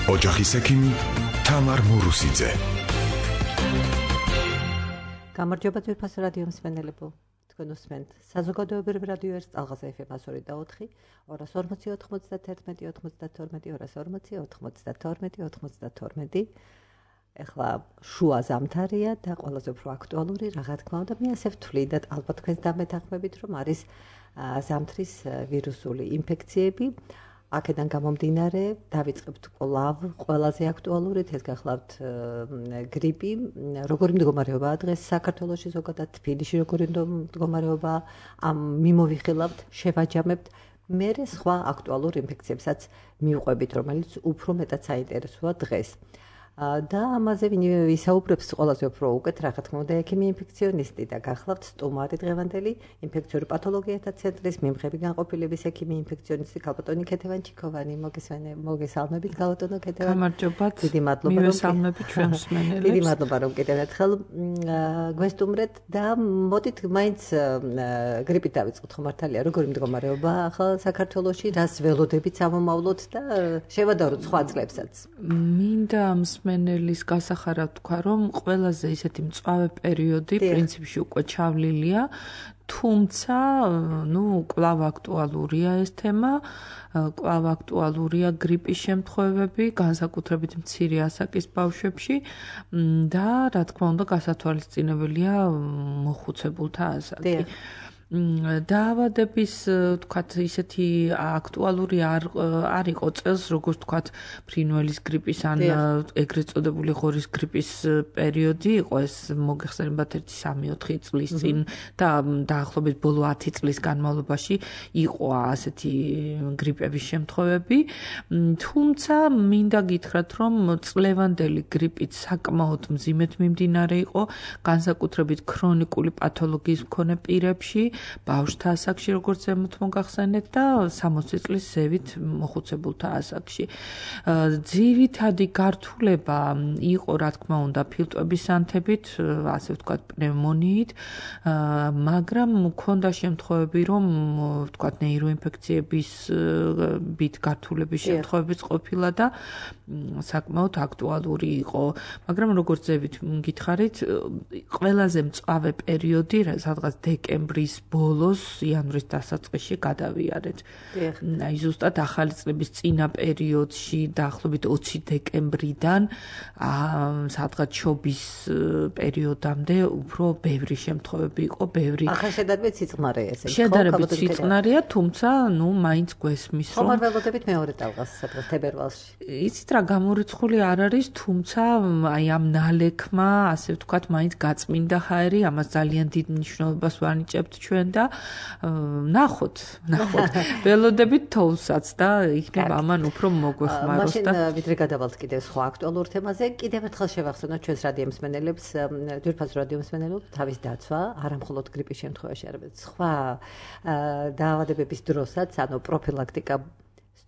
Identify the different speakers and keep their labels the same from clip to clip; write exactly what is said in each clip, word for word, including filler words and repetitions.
Speaker 1: ოჯახის ექიმი თამარ მურუსიძე.
Speaker 2: გამარჯობა ძვირფასო რადიო მსმენელებო. თქვენ უსმენთ საზოგადოებრივ რადიო ერთ ტალღაზე ეფ ემ ასორი და ოთხი, ორას ორმოცი ოთხმოცდათერთმეტი ოცდათორმეტი, ორას ორმოცი ოთხმოცდათორმეტი ოცდათორმეტი. ეხლა შუა ზამთარია და ყველაზე უფრო აქტუალური, რა თქმა უნდა, მე ასე ვთვლი და ალბათ თქვენს დამეთანხმებით, რომ არის ზამთრის ვირუსული ინფექციები. აქედან გამომდინარე, დავიწყებთ კვლავ ყველაზე აქტუალურით, ეს გახლავთ გრიპი. როგორი მდგომარეობაა დღეს საქართველოში, ზოგადად თბილისში როგორი მდგომარეობაა, ამ მიმოვიხილავთ, შევაჯამებთ. მერე სხვა აქტუალურ ინფექციებსაც მივყვებით, რომელიც უფრო მეტად საინტერესოა დღეს. და ამაზე ვისაუბრებს ყველაზე უფრო უკეთ, რა თქმა უნდა, ექიმი ინფექციონისტი და გახლავთ სტუმარი დღევანდელი ინფექციური პათოლოგიათა ცენტრის მიმღები განყოფილების ექიმი ინფექციონისტი ქალბატონი ქეთევანჩიკოვანი. მოგესალმებით ქალბატონო ქეთევანი.
Speaker 3: გამარჯობა.
Speaker 2: დიდი მადლობა.
Speaker 3: მივესალმებით ჩვენ მსმენელებს.
Speaker 2: დიდი მადლობა რომ კიდევ ერთხელ გვესტუმრეთ და მოდით მაინც გრიპით დავიწყოთ, ხო მართალია, როგორი მდგომარეობა ახლა საქართველოში, რას ველოდებით სამომავლოდ და შევადაროთ სხვა წლებსაც.
Speaker 3: მინდა მსმენელის გასახარად თქვა, რომ ყველაზე ისეთი მწვავე პერიოდი პრინციპში უკვე ჩავლილია, თუმცა, ნუ კვლავ აქტუალურია ეს თემა, კვლავ აქტუალურია გრიპის შემთხვევები, განსაკუთრებით მცირე ასაკის ბავშვებში და რა თქმა უნდა, გასათვალისწინებელია მოხუცებულთა ასაკი. დაავადების, თქვათ, ისეთი აქტუალური არ არ იყო წელს, როგორც თქვათ, ფრინველის გრიპის ან ეგრეთ წოდებული ღორის გრიპის პერიოდი იყო, ეს მოგეხსენებათ ერთი სამი ოთხი წლის წინ და დაახლოებით ბოლო ათი წლის განმავლობაში იყო ასეთი გრიპების შემთხვევები. თუმცა მინდა გითხრათ, რომ წლევანდელი გრიპით საკმაოდ მძიმედ მიმდინარე იყო, განსაკუთრებით ქრონიკული პათოლოგიის მქონე პირებში, ბავშვთა ასაკში, როგორც ზემოთ მოგახსენეთ და სამოცი წლის ზევით მოხუცებულთა ასაკში. ძირითადი გართულება იყო, რა თქმა უნდა, ფილტვების ანთებით, ასე ვთქვათ, პნევმონიით, მაგრამ მქონდა შემთხვევები, რომ ვთქვათ, ნეიროინფექციების ბით გართულების შემთხვევებიც ყოფილა და საკმაოდ აქტუალური იყო. მაგრამ როგორც ზევით გითხარით, ყველაზე მწვავე პერიოდი, სადღაც დეკემბრის ბოლოს, იანვრის დასაწყისში გადავიარეთ. აი ზუსტად ახალი წლების წინა პერიოდში, დაახლოებით ოცი დეკემბრიდან, სადღაც შობის პერიოდამდე უფრო ბევრი შემთხვევები იყო, ბევრი.
Speaker 2: ახლა შედარებით სიწყნარეა ესე.
Speaker 3: შედარებით სიწყნარეა, თუმცა, ნუ მაინც გვესმის, რომ
Speaker 2: ხომ არ ველოდებით მეორე ტალღას, სადღაც თებერვალში.
Speaker 3: იცით რა, გამორიცხული არ არის, თუმცა აი ამ ნალექმა, ასე ვთქვათ, მაინც გაწმინდა ჰაერი, ამას ძალიან დიდ მნიშვნელობას ვანიჭებთ ჩვენ და ნახოთ, ნახოთ. ველოდებით თოვლსაც და იქნება ამან უფრო მოგვეხმაროს და
Speaker 2: მაშინ ვიდრე გადავალთ კიდევ სხვა აქტუალურ თემაზე, კიდევ ერთხელ შევახსენოთ ჩვენს რადიო მსმენელებს, ძვირფასო რადიო მსმენელებს, თავის დაცვა, არა მხოლოდ გრიპის შემთხვევაში, არამედ სხვა დაავადებების დროსაც, ანუ პროფილაქტიკა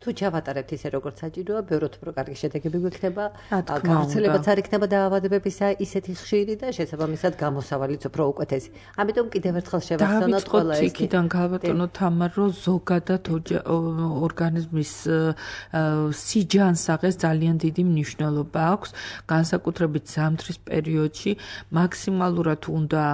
Speaker 2: თუ ჩავატარებთ ისე როგორც საჭიროა, ბევრად უფრო კარგი შედეგები გვექნება, გავრცელებაც არ იქნება დაავადებებისა ისეთი ხშირი და შესაბამისად გამოსავალიც უფრო უკეთესი. ამიტომ კიდევ ერთხელ შევახსენოთ ყველა ეს.
Speaker 3: იქიდან გავატონო თამარ, რომ ზოგადად ორგანიზმის სიჯანსაღეს ძალიან დიდი მნიშვნელობა აქვს, განსაკუთრებით ზამთრის პერიოდში მაქსიმალურად უნდა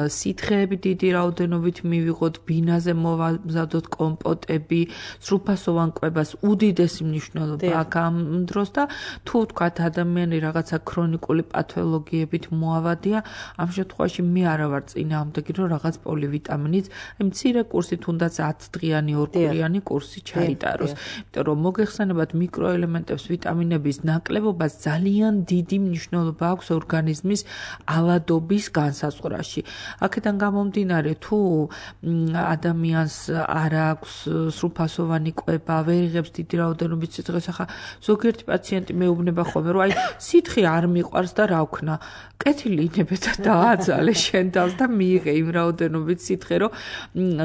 Speaker 3: სითხეები დიდი რაოდენობით მივიღოთ, ბინაზე მოვამზადოთ კომპოტები, სრულფასოვან კვებას უდიდესი მნიშვნელობა აქვს ამ დროს და თუ ვთქვათ ადამიანი რაღაცა ქრონიკული პათოლოგიებით მოავადია, ამ შემთხვევაში მე არა ვარ წინააღმდეგი, რომ რაღაც პოლივიტამინიც, აი მცირე კურსი თუნდაც ათი დღიანი, ორ კვირიანი კურსი ჩაიტაროს. იმიტომ რომ მოგეხსენებათ მიკროელემენტებს, ვიტამინების ნაკლებობას ძალიან დიდი მნიშვნელობა აქვს ორგანიზმის ავადობის განსაზღვრაში. აქედან გამომდინარე, თუ ადამიანს არ აქვს სრულფასოვანი კვება, ვერ იღებს დიდი რაოდენობით სითხეს, ახლა ზოგიერთი პაციენტი მეუბნება ხოლმე, რომ აი სითხე არ მიყვარს და რა ვქნა. კეთილი ინებეთ და დააძალე შენ თავს და მიიღე იმ რაოდენობით სითხე, რომ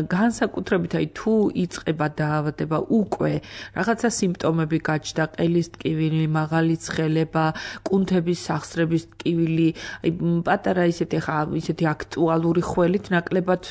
Speaker 3: განსაკუთრებით აი თუ იწყება დაავადება უკვე რაღაცა სიმპტომები გაჩნდა, ყელის ტკივილი, მაღალი ცხელება, კუნთების სახსრების ტკივილი, აი პატარა ისეთი ხა ისეთი აქტუალური ხველით ნაკლებად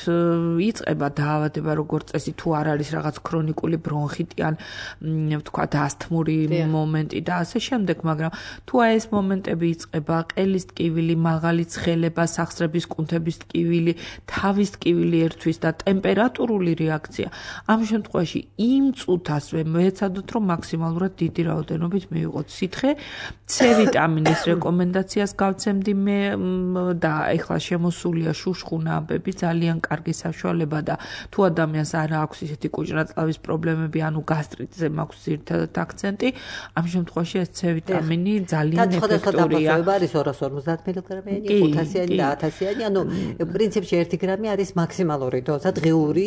Speaker 3: იწყება დაავადება, როგორც წესი თუ არ არის რაღაც ქრონიკული ბრონხიტი ან თან ვთქვათ ასთმური მომენტი და ასე შემდეგ, მაგრამ თუ აი ეს მომენტები იწყება, ყელის ტკივილი, მაღალი ცხელება, სახსრების კუნთების ტკივილი, თავის ტკივილი ერთვის და ტემპერატურული რეაქცია, ამ შემთხვევაში იმ წუთასვე მეცადოთ, რომ მაქსიმალურად დიდი რაოდენობით მივიღოთ სითხე, C ვიტამინის რეკომენდაციას გავცემდი მე და ეხლა შემოსულია შუშხუნა ამბები, ძალიან კარგი საშუალება და თუ ადამიანს არ აქვს ისეთი კუჭრაწლავის პრობლემები, ანუ გასტრიტზე მაქვს ძირითადად აქცენტი, ამ შემთხვევაში ეს C ვიტამინი ძალიან ეფექტურია.
Speaker 2: არის ორას ორმოცდაათ მილიგრამიანი, ხუთასიანი და ათასიანი, ანუ პრინციპში ერთი გრამი არის მაქსიმალური დოზა დღიური,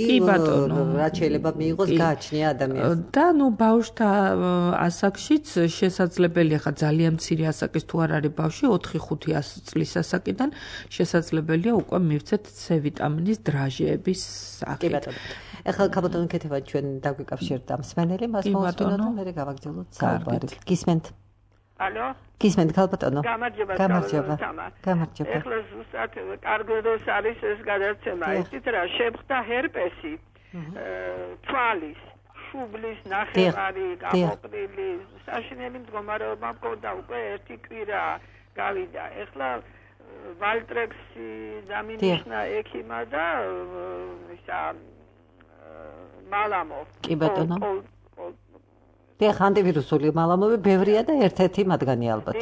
Speaker 2: რაც შეიძლება მიიღოს გააჩნია ადამიანს.
Speaker 3: და ნუ ბავშვთა ასაკშიც შესაძლებელია, ხა ძალიან მცირე ასაკის თუ არ არის ბავშვი, ოთხი ხუთი წლის ასაკიდან შესაძლებელია უკვე მივცეთ C ვიტამინის დრაჟეების სახით.
Speaker 2: კი ბატონო. ეხლა ქაბატონო კეთება ჩვენ დაგვიკავშირდა მსმენელი, მას მოვსმინოთ და მე გავაგრძელოთ საუბარი. გისმენთ?
Speaker 4: ალო?
Speaker 2: გისმენთ ქალბატონო?
Speaker 4: გამარჯობა.
Speaker 2: გამარჯობა. გამარჯობა.
Speaker 4: ეხლა ზუსტად კარგი დროს არის ეს გადაცემა. იცით რა, შეხვდა ჰერპესი, თვალის, შუბლის, ნახევარი, გამოყრილი, საშინელი მდგომარეობა მქონდა უკვე ერთი კვირა გავიდა. ეხლა ვალტრექსი დამინიშნა ექიმა და ისა მალამო.
Speaker 2: კი ბატონო. დიახ, ანტივირუსული მალამები ბევრია და ერთ-ერთი მათგანი ალბათ.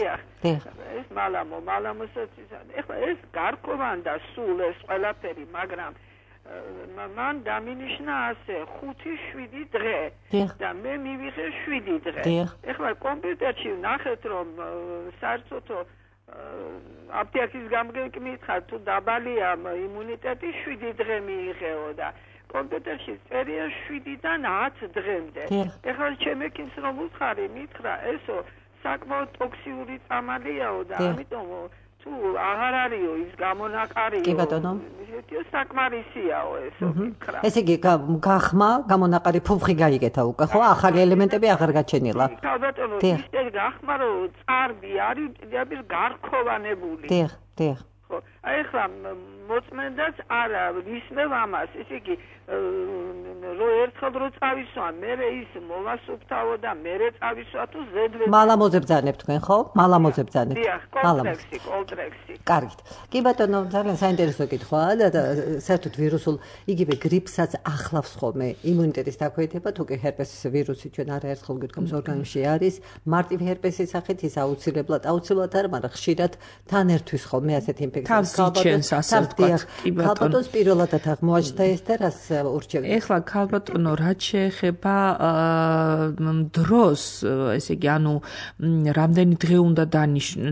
Speaker 4: დიახ. ეს მალამო, მალამოსაც ეხლა ეს გარკვევანდა სულ ეს ყველაფერი, მაგრამ მან დამინიშნა ასე ხუთი შვიდი დღე და მე მივიღე შვიდი დღე. ეხლა კომპიუტერში ნახეთ რომ საერთოდ აპტიაქის გამგეკმითხარ თუ დაბალია იმუნიტეტი შვიდი დღე მიიღეო და კომპიუტერში წერია შვიდიდან ათ დღემდე. ეხლა ჩემი კინს რომ უთხარი მითხრა ესო საკმაოდ ტოქსიური წამალიაო და ამიტომ თუ აღარ არისო ის გამონაყარიო.
Speaker 2: კი ბატონო.
Speaker 4: ისეთიო საკმარისიაო ესო მითხრა.
Speaker 2: ესე იგი გახმა, გამონაყარი ფუფხი გაიგეთა უკვე, ხო? ახალი ელემენტები აღარ გაჩენილა.
Speaker 4: კი ბატონო, ისე გახმა რომ წარბი არის პირდაპირ გარქოვანებული.
Speaker 2: დიახ, დიახ.
Speaker 4: ხო, აი ახლა მოწმენდაც არა ვისმევ ამას, ესე იგი რო ერთხელ რო წავისვა, მერე ის მოვასუფთავო და მერე წავისვა თუ ზედვე.
Speaker 2: მალამოზე ბძანებ თქვენ, ხო? მალამოზე ბძანებ.
Speaker 4: დიახ, კომპლექსი, კომპლექსი.
Speaker 2: კარგით. კი ბატონო, ძალიან საინტერესო კითხვაა და საერთოდ ვირუსულ იგივე გრიპსაც ახლავს ხოლმე იმუნიტეტის დაქვეითება, თუ კი ჰერპესის ვირუსი ჩვენ არაერთხელ გითხოვს ორგანიზმში არის, მარტივი ჰერპესის სახით ის აუცილებლად, აუცილებლად არა, მაგრამ ხშირად თან ერთვის ხოლმე ასეთი ინფექცია.
Speaker 3: თავს ასე ვთქვათ, კი ბატონო.
Speaker 2: ქალბატონს პირველადად აღმოაჩნდა ეს და რას ურჩევთ?
Speaker 3: ეხლა ქალბატონო, რაც შეეხება დროს, ესე იგი, ანუ რამდენი დღე უნდა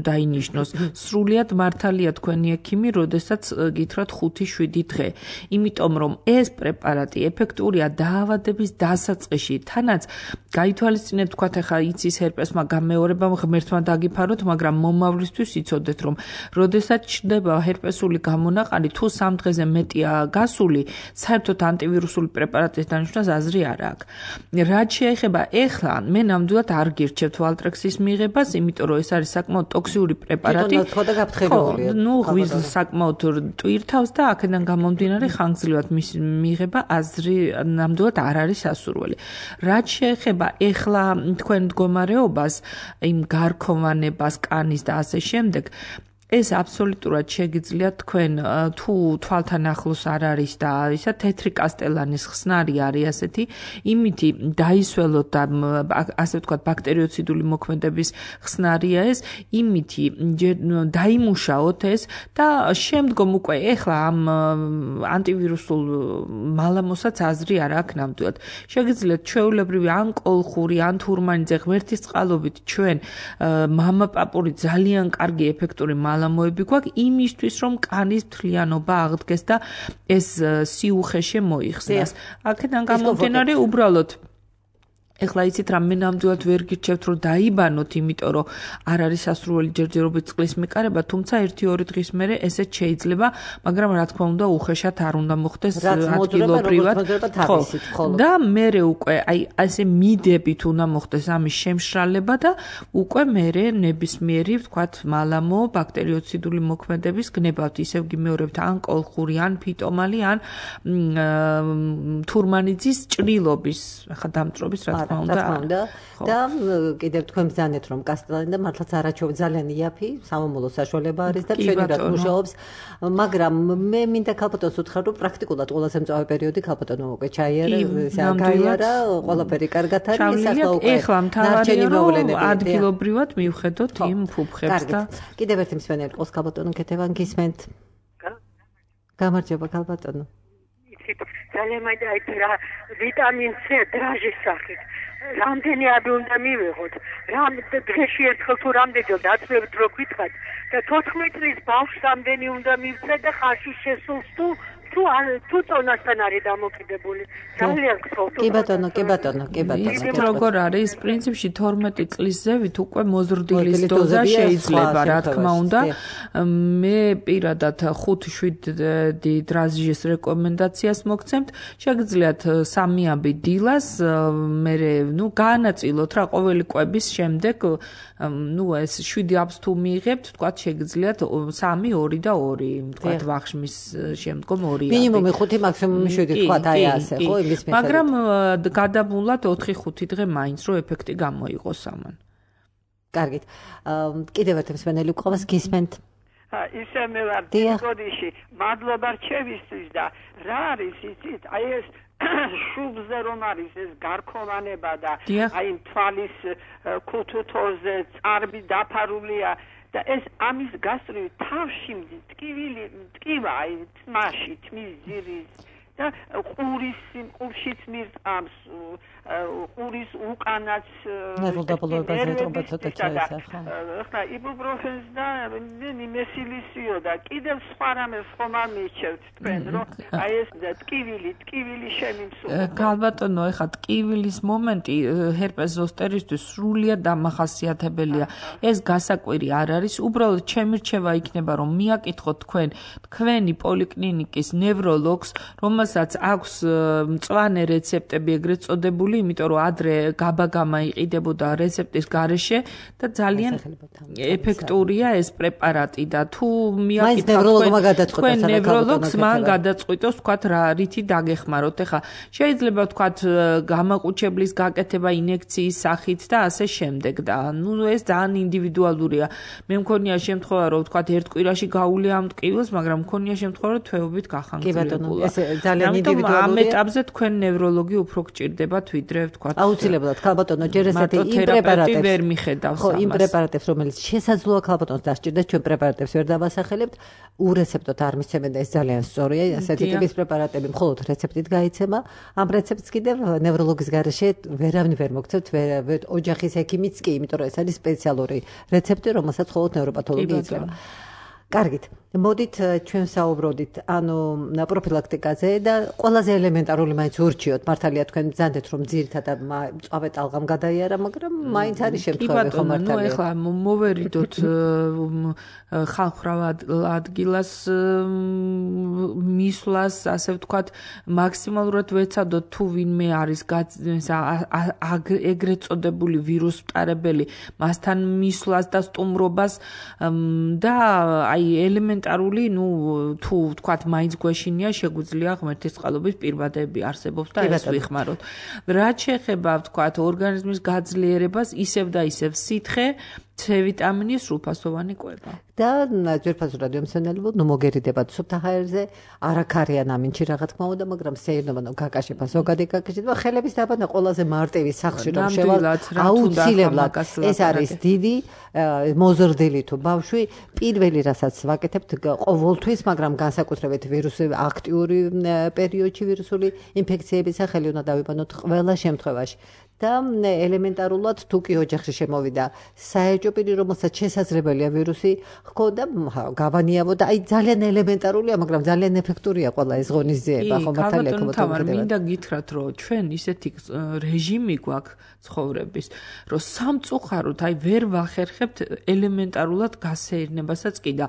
Speaker 3: დაინიშნოს, სრულიად მართალია თქვენი ექიმი, როდესაც გითხრათ ხუთი შვიდი დღე. იმიტომ რომ ეს პრეპარატი ეფექტურია დაავადების დასაწყისში, თანაც გაითვალისწინეთ, თქვათ ეხლა იცის ჰერპესმა გამეორება ღმერთმა დაგიფაროთ, მაგრამ მომავლისთვის იცოდეთ რომ როდესაც ჩნდება ჰერპესული გამონაყარი, თუ სამ დღეზე მეტია გასული, საერთოდ ანტივირუსული პრეპარატის დანიშნვას აზრი არ აქვს. რაც შეეხება ეხლა, მე ნამდვილად არ გირჩევთ ვალტრექსის მიღებას, იმიტომ რომ ეს არის საკმაოდ ტოქსიური პრეპარატი. ნუ ღვიძლს საკმაოდ ტვირთავს და აქედან გამომდინარე ხანგრძლივად მის მიღება აზრი ნამდვილად არ არის სასურველი. რაც შეეხება ეხლა თქვენ მდგომარეობას, იმ გარქოვანებას, კანის და ასე შემდეგ, ეს აბსოლუტურად შეგიძლიათ თქვენ თუ თვალთან ახლოს არ არის და ისა თეთრი კასტელანის ხსნარი არის ასეთი, იმითი დაისველოთ და ასე ვთქვათ ბაქტერიოციდული მოქმედების ხსნარია ეს, იმითი დაიმუშაოთ ეს და შემდგომ უკვე ეხლა ამ ანტივირუსულ მალამოსაც აზრი არ აქვს ნამდვილად. შეგიძლიათ ჩვეულებრივი ან კოლხური, ან თურმანიძე ღმერთის წყალობით ჩვენ მამაპაპური ძალიან კარგი ეფექტური მალამოები გვაქვს იმისთვის რომ კანის მთლიანობა აღდგეს და ეს სიუხე შემოიხსნას. აქედან გამომდინარე უბრალოდ ეხლა იცით რა მე ნამდვილად ვერ გირჩევთ რომ დაიბანოთ, იმიტომ რომ არ არის სასურველი ჯერჯერობით წყლის მიყარება, თუმცა ერთი ორი დღის მერე ესეც შეიძლება, მაგრამ რა თქმა უნდა უხეშად არ უნდა მოხდეს ადგილობრივად. და მერე უკვე აი ასე მიდებით უნდა მოხდეს ამის შემშრალება და უკვე მერე ნებისმიერი ვთქვათ მალამო ბაქტერიოციდული მოქმედების გნებავთ, ისევ გიმეორებთ ან კოლხური, ან ფიტომალი, ან თურმანიძის ჭრილობის, ახლა დამწრობის რა თქმა უნდა.
Speaker 2: რა თქმა უნდა. და კიდევ თქვენ ბრძანეთ რომ კასტელანი და მართლაც არაჩვეულებრივ ძალიან იაფი სამომავლო საშუალება არის და ჩვენურად მუშაობს, მაგრამ მე მინდა ქალბატონს უთხრა რომ პრაქტიკულად ყველაზე მწვავე პერიოდი ქალბატონო უკვე ჩაიარა, გაიარა, ყველაფერი კარგად არის, ახლა უკვე
Speaker 3: ეხლა მთავარია რომ ადგილობრივად მივხედოთ იმ ფუფხებს და
Speaker 2: კიდევ ერთი მსმენელი ყავს ქალბატონო კეთებან გისმენთ. გამარჯობა ქალბატონო.
Speaker 5: ძალიან მაინტერესებს რა ვიტამინ C დრაჟის სახით. რამდენი აბი უნდა მივიღოთ? რამ დღეში ერთხელ თუ რამდენჯერ დაწვევთ რო გითხრათ და თოთხმეტ წლის ბავშვს რამდენი უნდა მივცე და ხარში შესულს თუ თუ თუ წონასთან არის დამოკიდებული. ძალიან გთხოვთ.
Speaker 2: კი ბატონო, კი ბატონო, კი ბატონო.
Speaker 3: ის როგორ არის? პრინციპში თორმეტი წლის ზევით უკვე მოზრდილის დოზა შეიძლება, რა თქმა უნდა. მე პირადად ხუთ შვიდ დრაჟის რეკომენდაციას მოგცემთ. შეგიძლიათ სამი აბი დილას, მე ნუ გაანაწილოთ რა ყოველი კვების შემდეგ, ნუ ეს შვიდი აბს თუ მიიღებთ, თქვა შეგიძლიათ სამი, ორი და ორი, თქვა ვახშმის შემდგომ ორი.
Speaker 2: მინიმუმი ხუთი, მაქსიმუმი შვიდი თქვა აი ასე, ხო, იმის მიხედვით.
Speaker 3: მაგრამ გადაბმულად ოთხი ხუთი დღე მაინც რომ ეფექტი გამოიყოს ამან.
Speaker 2: კარგით. კიდევ ერთი მსმენელი გვყავს, გისმენთ.
Speaker 4: ისე მე ვარ დიაგნოზში, მადლობა რჩევისთვის და რა არის იცით? აი ეს შუბზე რომ არის ეს გარქოვანება და აი თვალის ქუთუთოზე წარბი დაფარულია და ეს ამის გასწრები თავში მტკივილი მტკივა აი თმაში თმის ძირის და ყურის ყურშიც მირტყამს ყურის უკანაც
Speaker 2: ნერვდაბლობაზე ეტყობა ცოტა ჩაესახა
Speaker 4: ახლა იბუპროფენს და ნიმესილისიო და კიდევ სხვა რამეს ხომ არ მირჩევთ თქვენ რომ აი ეს ტკივილი ტკივილი შემიმსულა
Speaker 3: გალბატონო ეხლა ტკივილის მომენტი ჰერპეს ზოსტერისთვის სრულიად დამახასიათებელია ეს გასაკვირი არ არის უბრალოდ ჩემი რჩევა იქნება რომ მიაკითხოთ თქვენ თქვენი პოლიკლინიკის ნევროლოგს რომელსაც აქვს მწვანე რეცეპტები ეგრეთ წოდებული იმიტომ რომ ადრე გაბაგამა იყიდებოდა რეცეპტის გარეშე და ძალიან ეფექტურია ეს პრეპარატი და თუ მიაკითხოთ თქვენ ნევროლოგს მან გადაწყვიტოს თქვათ რა რითი დაგეხმაროთ ეხა შეიძლება თქვათ გამაყუჩებლის გაკეთება ინექციის სახით და ასე შემდეგ და ნუ ეს ძალიან ინდივიდუალურია მე მქონია შემთხვევა რომ თქვათ ერთ კვირაში გაუვლია ამ ტკივილს მაგრამ მქონია შემთხვევა რომ თვეობით გახანგრძლივულა
Speaker 2: ძალიან ინდივიდუალურია
Speaker 3: ამ ეტაპზე თქვენ ნევროლოგი უფრო გჭირდებათ ვიდრე თქვათ
Speaker 2: აუცილებლად ქალბატონო ჯერ ესეთი იმ პრეპარატებს
Speaker 3: ვერ მიხედავს
Speaker 2: ხო იმ პრეპარატებს რომელიც შესაძლოა ქალბატონს დასჭირდეს ჩვენ პრეპარატებს ვერ დავასახელებთ ურეცეპტოდ არ მისცემენ და ეს ძალიან სწორია ასეთი ტიპის პრეპარატები მხოლოდ რეცეპტით გაიცემა ამ რეცეპტს კიდევ ნევროლოგის გარეშე ვერავინ ვერ მოგცემთ ოჯახის ექიმიც კი იმიტომ რომ ეს არის სპეციალური რეცეპტი რომელსაც მხოლოდ ნევროპათოლოგი იძლევა კარგით მოდით ჩვენ საუბრობთ ანუ პროფილაქტიკაზე და ყველაზე ელემენტარული მაინც ურჩიოთ მართალია თქვენ ბრძანდეთ რომ ძირითადად მწვავე ტალღამ გადაიარა მაგრამ მაინც არის შემთხვევები ხომ მართალია
Speaker 3: ნუ ეხლა მოვერიდოთ ხალხრავ ადგილას მისვლას ასე ვთქვათ მაქსიმალურად ვეცადოთ თუ ვინმე არის ეგრეთ წოდებული ვირუს მტარებელი მასთან მისვლას და სტუმრობას და აი ელემენტარული, ნუ თუ ვთქვათ, მაინც გვეშინია, შეგვიძლია ღმერთის წყალობით პირბადები არსებობს და ეს ვიხმაროთ. რაც შეეხება, ვთქვათ, ორგანიზმის გაძლიერებას, ისევ და ისევ სითხე, C ვიტამინის სრულფასოვანი კვება.
Speaker 2: და ძვირფასო რადიომსმენელებო, ნუ მოგერიდებათ სუფთაჰაერზე, არაქარიან ამინჩი რა თქმა უნდა, მაგრამ სეირნობა გაკაშება, ზოგადი გაკაშება, ხელების დაბანა ყველაზე მარტივი სახში რომ შევალ, აუცილებლად ეს არის დიდი მოზრდილი თუ ბავშვი, პირველი რასაც ვაკეთებთ ყოველთვის, მაგრამ განსაკუთრებით ვირუსი აქტიური პერიოდში ვირუსული ინფექციების სახელი უნდა დავიბანოთ ყველა შემთხვევაში. და ელემენტარულად თუ კი ოჯახში შემოვიდა საეჭვო პირი რომელსაც შესაძლებელია ვირუსი ჰქონდა გავანიავო და აი ძალიან ელემენტარულია მაგრამ ძალიან ეფექტურია ყველა ეს ღონისძიება ხო მართალია
Speaker 3: ქობოთო მინდა გითხრათ რომ ჩვენ ისეთი რეჟიმი გვაქვს ცხოვრების რომ სამწუხაროდ აი ვერ ვახერხებთ ელემენტარულად გასეირნებასაც კი და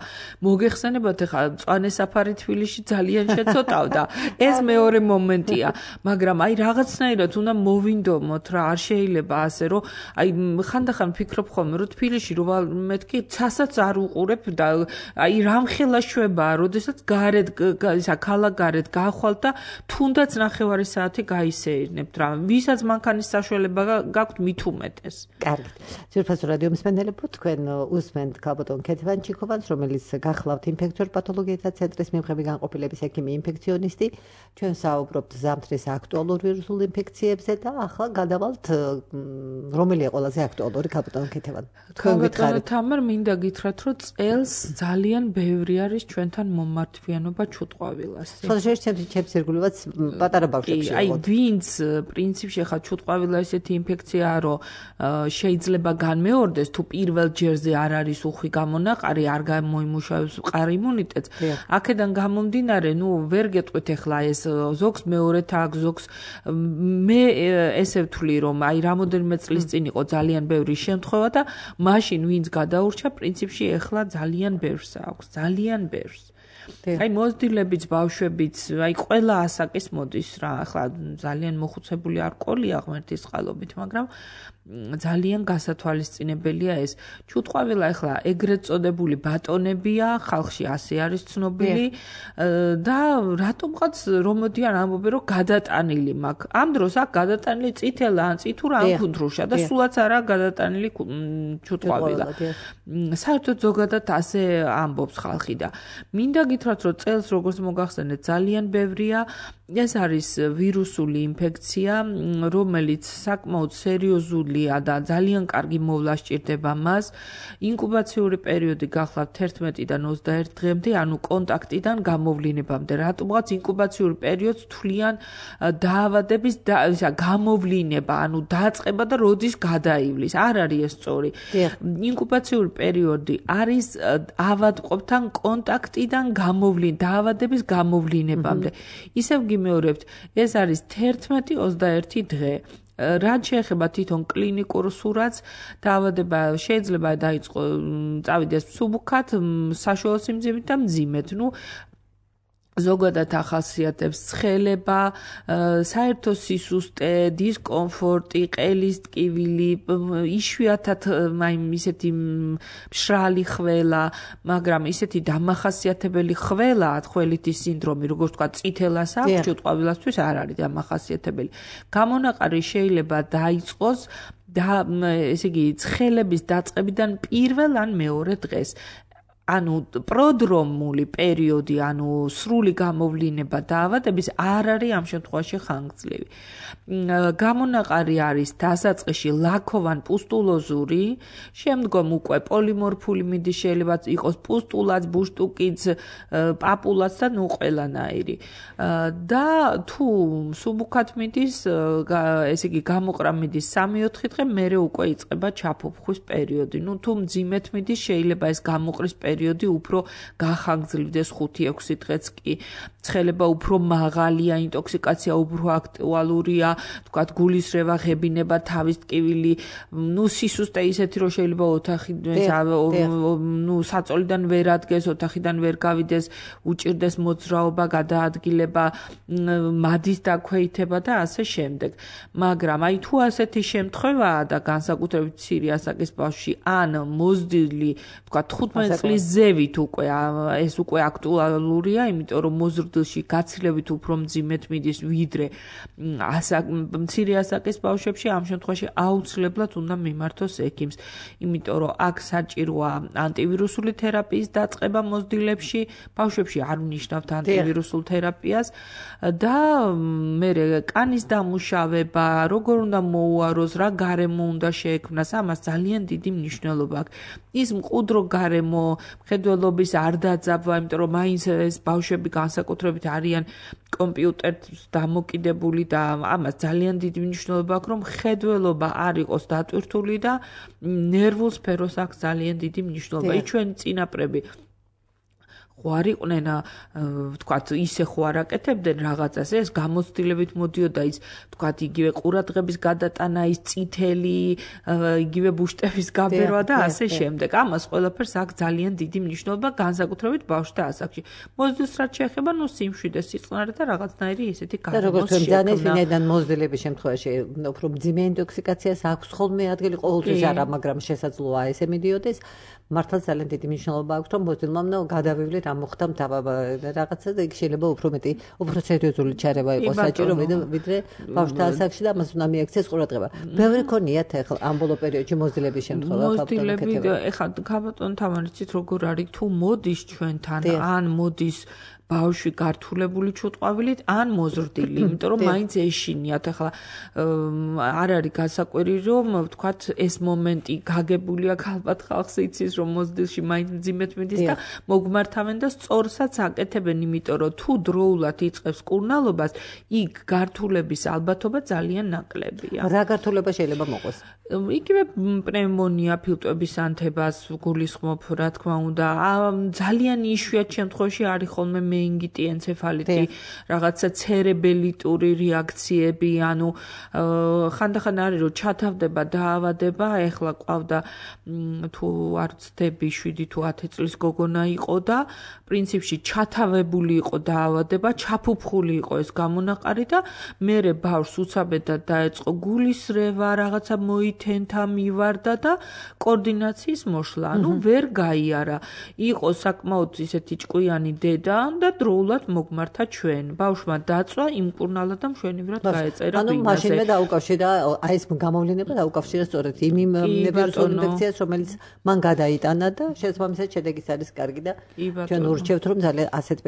Speaker 3: მოგეხსენებათ ახლა მწვანე საფარი თბილისში ძალიან შეცოტავდა ეს მეორე მომენტია მაგრამ აი რაღაცნაირად უნდა მოვინდომოთ რა არ შეიძლება ასე რომ აი ხანდახან ფიქრობ ხოლმე რომ თბილისში რომ მეთქი ცასაც არ უყურებ და აი რამხელა შვება როდესაც გარეთ ისა ქალაქგარეთ გახვალ და თუნდაც ნახევარი საათი გაისეირნებთ რა ვისაც მანქანის საშუალება გაქვთ მით უმეტეს
Speaker 2: კარგით ძვირფასო რადიო მსმენელებო თქვენ უსმენთ ქალბატონ ქეთევან ჩიქოვანს რომელიც გახლავთ ინფექციურ პათოლოგიათა ცენტრის მიღები განყოფილების ექიმი ინფექციონისტი ჩვენ საუბრობთ ზამთრის აქტუალურ ვირუსულ ინფექციებზე და ახლა გადავალთ რომელია ყველაზე აქტუალური ქალბატონ ქეთევან თქვენ გითხარით
Speaker 3: თამარ მინდა გითხრათ რომ წელს ძალიან ბევრი არის ჩვენთან მომართვიანობა ჩუტყვავილასი
Speaker 2: ხო შეიძლება ჩემს ირგვლივაც პატარა ბავშვებში
Speaker 3: აი ვინც პრინციპში ხა ჩუტყვავილა ესეთი ინფექციაა რომ შეიძლება განმეორდეს თუ პირველ ჯერზე არ არის უხვი გამონაყარი არ გამოიმუშავებს მყარ იმუნიტეტს აქედან გამომდინარე ნუ ვერ გეტყვით ახლა ეს ზოგს მეორეთ აქვს ზოგს მე ესე ვთვლი რომ აი რამოდენიმე წლის წინ იყო ძალიან ბევრი შემთხვევა და მაშინ ვინც გადაურჩა პრინციპში ახლა ძალიან ბევრს აქვს ძალიან ბევრს აი მოზრდილებიც ბავშვებიც აი ყველა ასაკის მოდის რა ახლა ძალიან მოხუცებული არ ყოლია ღმერთის წყალობით მაგრამ ძალიან გასათვალისწინებელია ეს ჩუტყვავილა ახლა ეგრეთ წოდებული ბატონებია ხალხში ასე არის ცნობილი და რატომღაც რომოდიან ამბობენ რომ გადატანილი მაქვს ამ დროს აქ გადატანილი წითელა ან წითურა ან ქუნდრუშა და სულაც არა გადატანილი ჩუტყვავილა საერთოდ ზოგადად ასე ამბობს ხალხი და მინდა გითხრათ რომ წელს როგორც მოგახსენეთ ძალიან ბევრია ეს არის ვირუსული ინფექცია რომელიც საკმაოდ სერიოზულია და ძალიან კარგი მოვლა სჭირდება მას ინკუბაციური პერიოდი გახლავთ ერთმეტიდან ოცდაერთ დღემდე ანუ კონტაქტიდან გამოვლინებამდე რატომღაც ინკუბაციური პერიოდს თვლიან დაავადების ისა გამოვლინება ანუ დაწყება და როდის გადაივლის არ არის ეს სწორი ინკუბაციური პერიოდი არის ავადმყოფთან კონტაქტიდან გამოვლინ დაავადების გამოვლინებამდე ისევ გიმეორებთ ეს არის თერთმეტი ოცდაერთი დღე რაც შეეხება თვითონ კლინიკურ სურათს დაავადება შეიძლება დაიწყო წავიდეს მსუბუქად საშუალო სიმძიმით და მძიმედ ნუ ზოგადად ახასიათებს ცხელება, საერთო სისუსტე, დისკომფორტი, ყელის ტკივილი, იშვიათად აი ისეთი მშრალი ხველა, მაგრამ ისეთი დამახასიათებელი ხველა, ხველითი სინდრომი, როგორც თქვა, წითელას აქვს, ჩუტყვავილასთვის არ არის დამახასიათებელი. გამონაყარი შეიძლება დაიწყოს და ესე იგი ცხელების დაწყებიდან პირველ ან მეორე დღეს. ანუ პროდრომული პერიოდი, ანუ სრული გამოვლინება დაავადების არ არის ამ შემთხვევაში ხანგრძლივი. გამონაყარი არის დასაწყისში ლაქოვან პუსტულოზური, შემდგომ უკვე პოლიმორფული მიდის, შეიძლება იყოს პუსტულაც, ბუშტუკიც, პაპულაც და ნუ ყველანაირი. და თუ მსუბუქად მიდის, ესე იგი გამოყრა მიდის სამი-ოთხი დღე, მერე უკვე იწყება ჩაფუფხვის პერიოდი. ნუ თუ მძიმედ მიდის, შეიძლება ეს გამოყრის პერიოდი უფრო გახანგრძლივდეს ხუთი-ექვსი დღეც კი. ცხელება უფრო მაღალია, ინტოქსიკაცია უფრო აქტუალურია, თქვათ გულისრევა, ღებინება, თავის ტკივილი, ნუ სისუსტე ისეთი რომ შეიძლება ოთახი ნუ საწოლიდან ვერ ადგეს, ოთახიდან ვერ გავიდეს, უჭირდეს მოძრაობა, გადაადგილება, მადის დაქვეითება და ასე შემდეგ. მაგრამ აი თუ ასეთი შემთხვევაა და განსაკუთრებით მცირე ასაკის ბავშვი ან მოზრდილი, თქვათ თხუთმეტი წლის ზევით უკვე ეს უკვე აქტუალურია, იმიტომ რომ მოზრდილში გაცილებით უფრო მძიმედ მიდის ვიდრე ასაკ მცირე ასაკის ბავშვებში ამ შემთხვევაში აუცილებლად უნდა მიმართოს ექიმს, იმიტომ რომ აქ საჭიროა ანტივირუსული თერაპიის დაწყება მოზრდილებში, ბავშვებში არ ვნიშნავთ ანტივირუსულ თერაპიას და მერე კანის დამუშავება, როგორ უნდა მოუაროს, რა გარემო უნდა შეექმნას, ამას ძალიან დიდი მნიშვნელობა აქვს. ის მყუდრო გარემო, მხედველობის არ დაძაბვა, იმიტომ რომ მაინც ეს ბავშვები განსაკუთრებით არიან კომპიუტერს დამოკიდებული და ამას ძალიან დიდი მნიშვნელობა აქვს, რომ მხედველობა არ იყოს დატვირთული და ნერვულ სფეროს აქვს ძალიან დიდი მნიშვნელობა. ის ჩვენი წინაპრები არ იყვნენ ვთქვათ ისე ხო არ აკეთებდნენ რაღაცას ეს გამოცდილებით მოდიოდა ის ვთქვათ იგივე ყურადღების გადატანა ის წითელი იგივე ბუშტების გაბერვა და ასე შემდეგ ამას ყველაფერს აქვს ძალიან დიდი მნიშვნელობა განსაკუთრებით ბავშვთა ასაკში მოზრდილს რაც შეეხება ნუ სიმშვიდე სიწყნარე და რაღაცნაირი ესეთი
Speaker 2: გარემოს როგორც ძალიან ვინაიდან მოზრდილების შემთხვევაში უფრო მძიმე ინტოქსიკაციას აქვს ხოლმე ადგილი ყოველთვის არა მაგრამ შესაძლოა ესე მიდიოდეს მართლა ძალიან დიდი მნიშვნელობა აქვს რომ მოზრდილმა გადავივლე რა მოხდა რაღაცა და იქ შეიძლება უფრო მეტი უფრო სერიოზული ჩარევა იყოს საჭირო ვიდრე ბავშვთა ასაკში და მას უნდა მიაქციეს ყურადღება. ბევრი ქონიათ ახლა ამ ბოლო პერიოდში მოზრდილების შემთხვევა
Speaker 3: მოზრდილები ეხლა გაბატონ თამარიცით როგორ არის თუ მოდის ჩვენთან ან მოდის ბავშვი გართულებული ჩუტყვავილით ან მოზრდილი, იმიტომ რომ მაინც ეშინიათ ახლა არ არის გასაკვირი რომ ვთქვათ ეს მომენტი გაგებულია ალბათ ხალხს იცის რომ მოზრდილში მაინც მძიმედ მიდის და მოგმართავენ და სწორსაც აკეთებენ, იმიტომ რომ თუ დროულად იწყებს კურნალობას, იქ გართულების ალბათობა ძალიან ნაკლებია.
Speaker 2: რა გართულება შეიძლება მოყოს?
Speaker 3: იგივე პნევმონია, ფილტვების ანთებას გულისხმობ, რა თქმა უნდა, ძალიან იშვიათ შემთხვევაში არის ხოლმე მეინგიტი, ენცეფალიტი, რაღაცა ცერებელიტური რეაქციები, ანუ ხანდახან არის რომ ჩათავდება დაავადება, ეხლა ყავდა თუ არ ვცდები შვიდი თუ ათი წლის გოგონა იყო და პრინციპში ჩათავებული იყო დაავადება, ჩაფუფხული იყო ეს გამონაყარი და მერე ბავშვს უცაბედად დაეწყო გულისრევა, რაღაცა მოითენთა, მივარდა და კოორდინაციის მოშლა, ანუ ვერ გაიარა. იყო საკმაოდ ისეთი ჭკვიანი დედა და დროულად მოგმართა ჩვენ. ბავშვმა დაწვა, იმკურნალა და მშვენივრად გაეწერა
Speaker 2: ბინაზე. ანუ მაშინვე დაუკავშირა აი ეს გამოვლინება დაუკავშირა სწორედ იმ ვირუსულ ინფექციას, რომელიც მან გადაიტანა და შესაბამისად შედეგიც არის კარგი და ჩვენ ურჩევთ რომ ძალიან ასეთ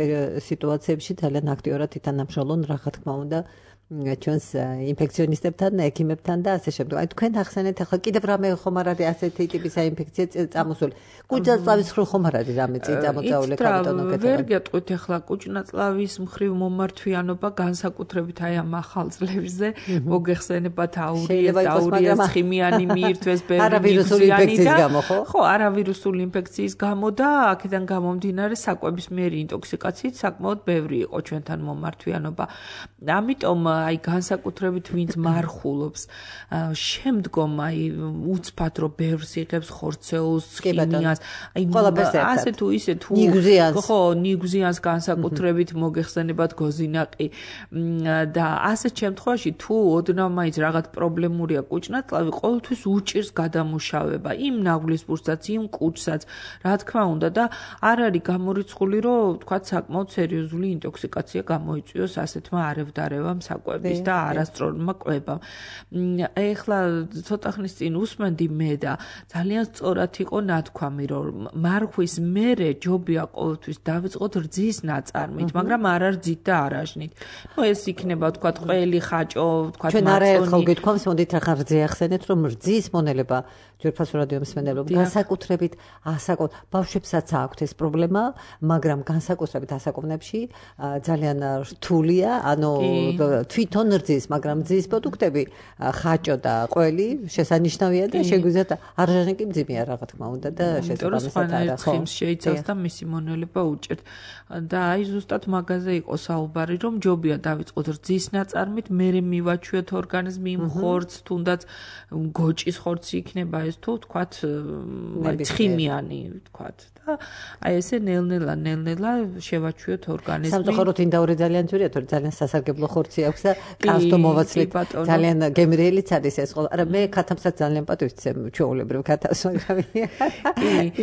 Speaker 2: სიტუაციებში ძალიან აქტიურად ითანამშრომლონ რა თქმა უნდა ჩვენს ინფექციონისტებთან, ექიმებთან და ასე შემდეგ. აი თქვენ ახსენეთ ახლა კიდევ რამე ხომ არ არის ასეთი ტიპის ინფექცია წამოსული. კუჭნაწლავის მხრივ ხომ არ არის რამე წამოწეული კაბატონო კეთება.
Speaker 3: ვერ გეტყვით ახლა კუჭნაწლავის მხრივ მომართვიანობა განსაკუთრებით აი ამ ახალ წლებზე მოგეხსენებათ აურიეს, აურიეს ხიმიანი მიირთვეს
Speaker 2: ბერნიკიანი და
Speaker 3: ხო, არავირუსული ინფექციის გამო და აქედან გამომდინარე საკვებისმიერი ინტოქსიკაციით საკმაოდ ბევრი იყო ჩვენთან მომართვიანობა. ამიტომ აი განსაკუთრებით ვინც მარხულობს შემდგომ აი უცბად რომ ბევრს იღებს ხორცეულს, ხიმიას, აი ასე თუ ისე თუ ხო, ნიგზიანს განსაკუთრებით მოგეხსენებათ გოზინაყი და ასეთ შემთხვევაში თუ ოდნავ მაინც რაღაც პრობლემურია კუჭნაწლავი, ყოველთვის უჭირს გადამუშავება იმ ნაღვლისბურსაც, იმ კუჭსაც, რა თქმა უნდა და არ არის გამორიცხული რომ თქვა საკმაოდ სერიოზული ინტოქსიკაცია გამოიწვიოს ასეთმა არევდარევამ საკვების და არასწორმა კვებამ. ეხლა ცოტა ხნის წინ უსმენდი მე და ძალიან სწორად იყო ნათქვამი, რომ მარხვის მერე ჯობია ყოველთვის დავიწყოთ რძის ნაწარმით, მაგრამ არა რძით და არაჟნით. ნუ ეს იქნება თქვა ყველი ხაჭო, თქვა
Speaker 2: მაწონი. ჩვენ არაერთხელ გითქვამს, მოდით ახლა რძე ახსენეთ, რომ რძის მონელება ჯერფასო რადიო მსმენელობ განსაკუთრებით ასაკობ ბავშვებსაც აქვთ ეს პრობლემა, მაგრამ განსაკუთრებით ასაკოვნებში ძალიან რთულია, ანუ თვითონ რძის, მაგრამ რძის პროდუქტები ხაჭო და ყველი შესანიშნავია და შეგვიძლიათ არაჟანი კი მძიმეა რა თქმა უნდა და შესაბამისად არა ხო
Speaker 3: ხიმს შეიცავს და მისი მონელება უჭერთ და აი ზუსტად მაგაზე იყო საუბარი რომ ჯობია დავიწყოთ რძის ნაწარმით, მერე მივაჩვიოთ ორგანიზმი იმ ხორცს, თუნდაც გოჭის ხორცი იქნება ეს თუ თქვათ ცხიმიანი თქვათ და აი ესე ნელ-ნელა ნელ-ნელა შევაჩვიოთ ორგანიზმი.
Speaker 2: სამწუხაროდ ინდაური ძალიან ძვირია, თორე ძალიან სასარგებლო ხორცი აქვს და კაცთო მოვაცლით ძალიან გემრიელიც არის ეს ყველა. არა მე ქათამსაც ძალიან პატივცემ ჩვეულებრივ ქათას, მაგრამ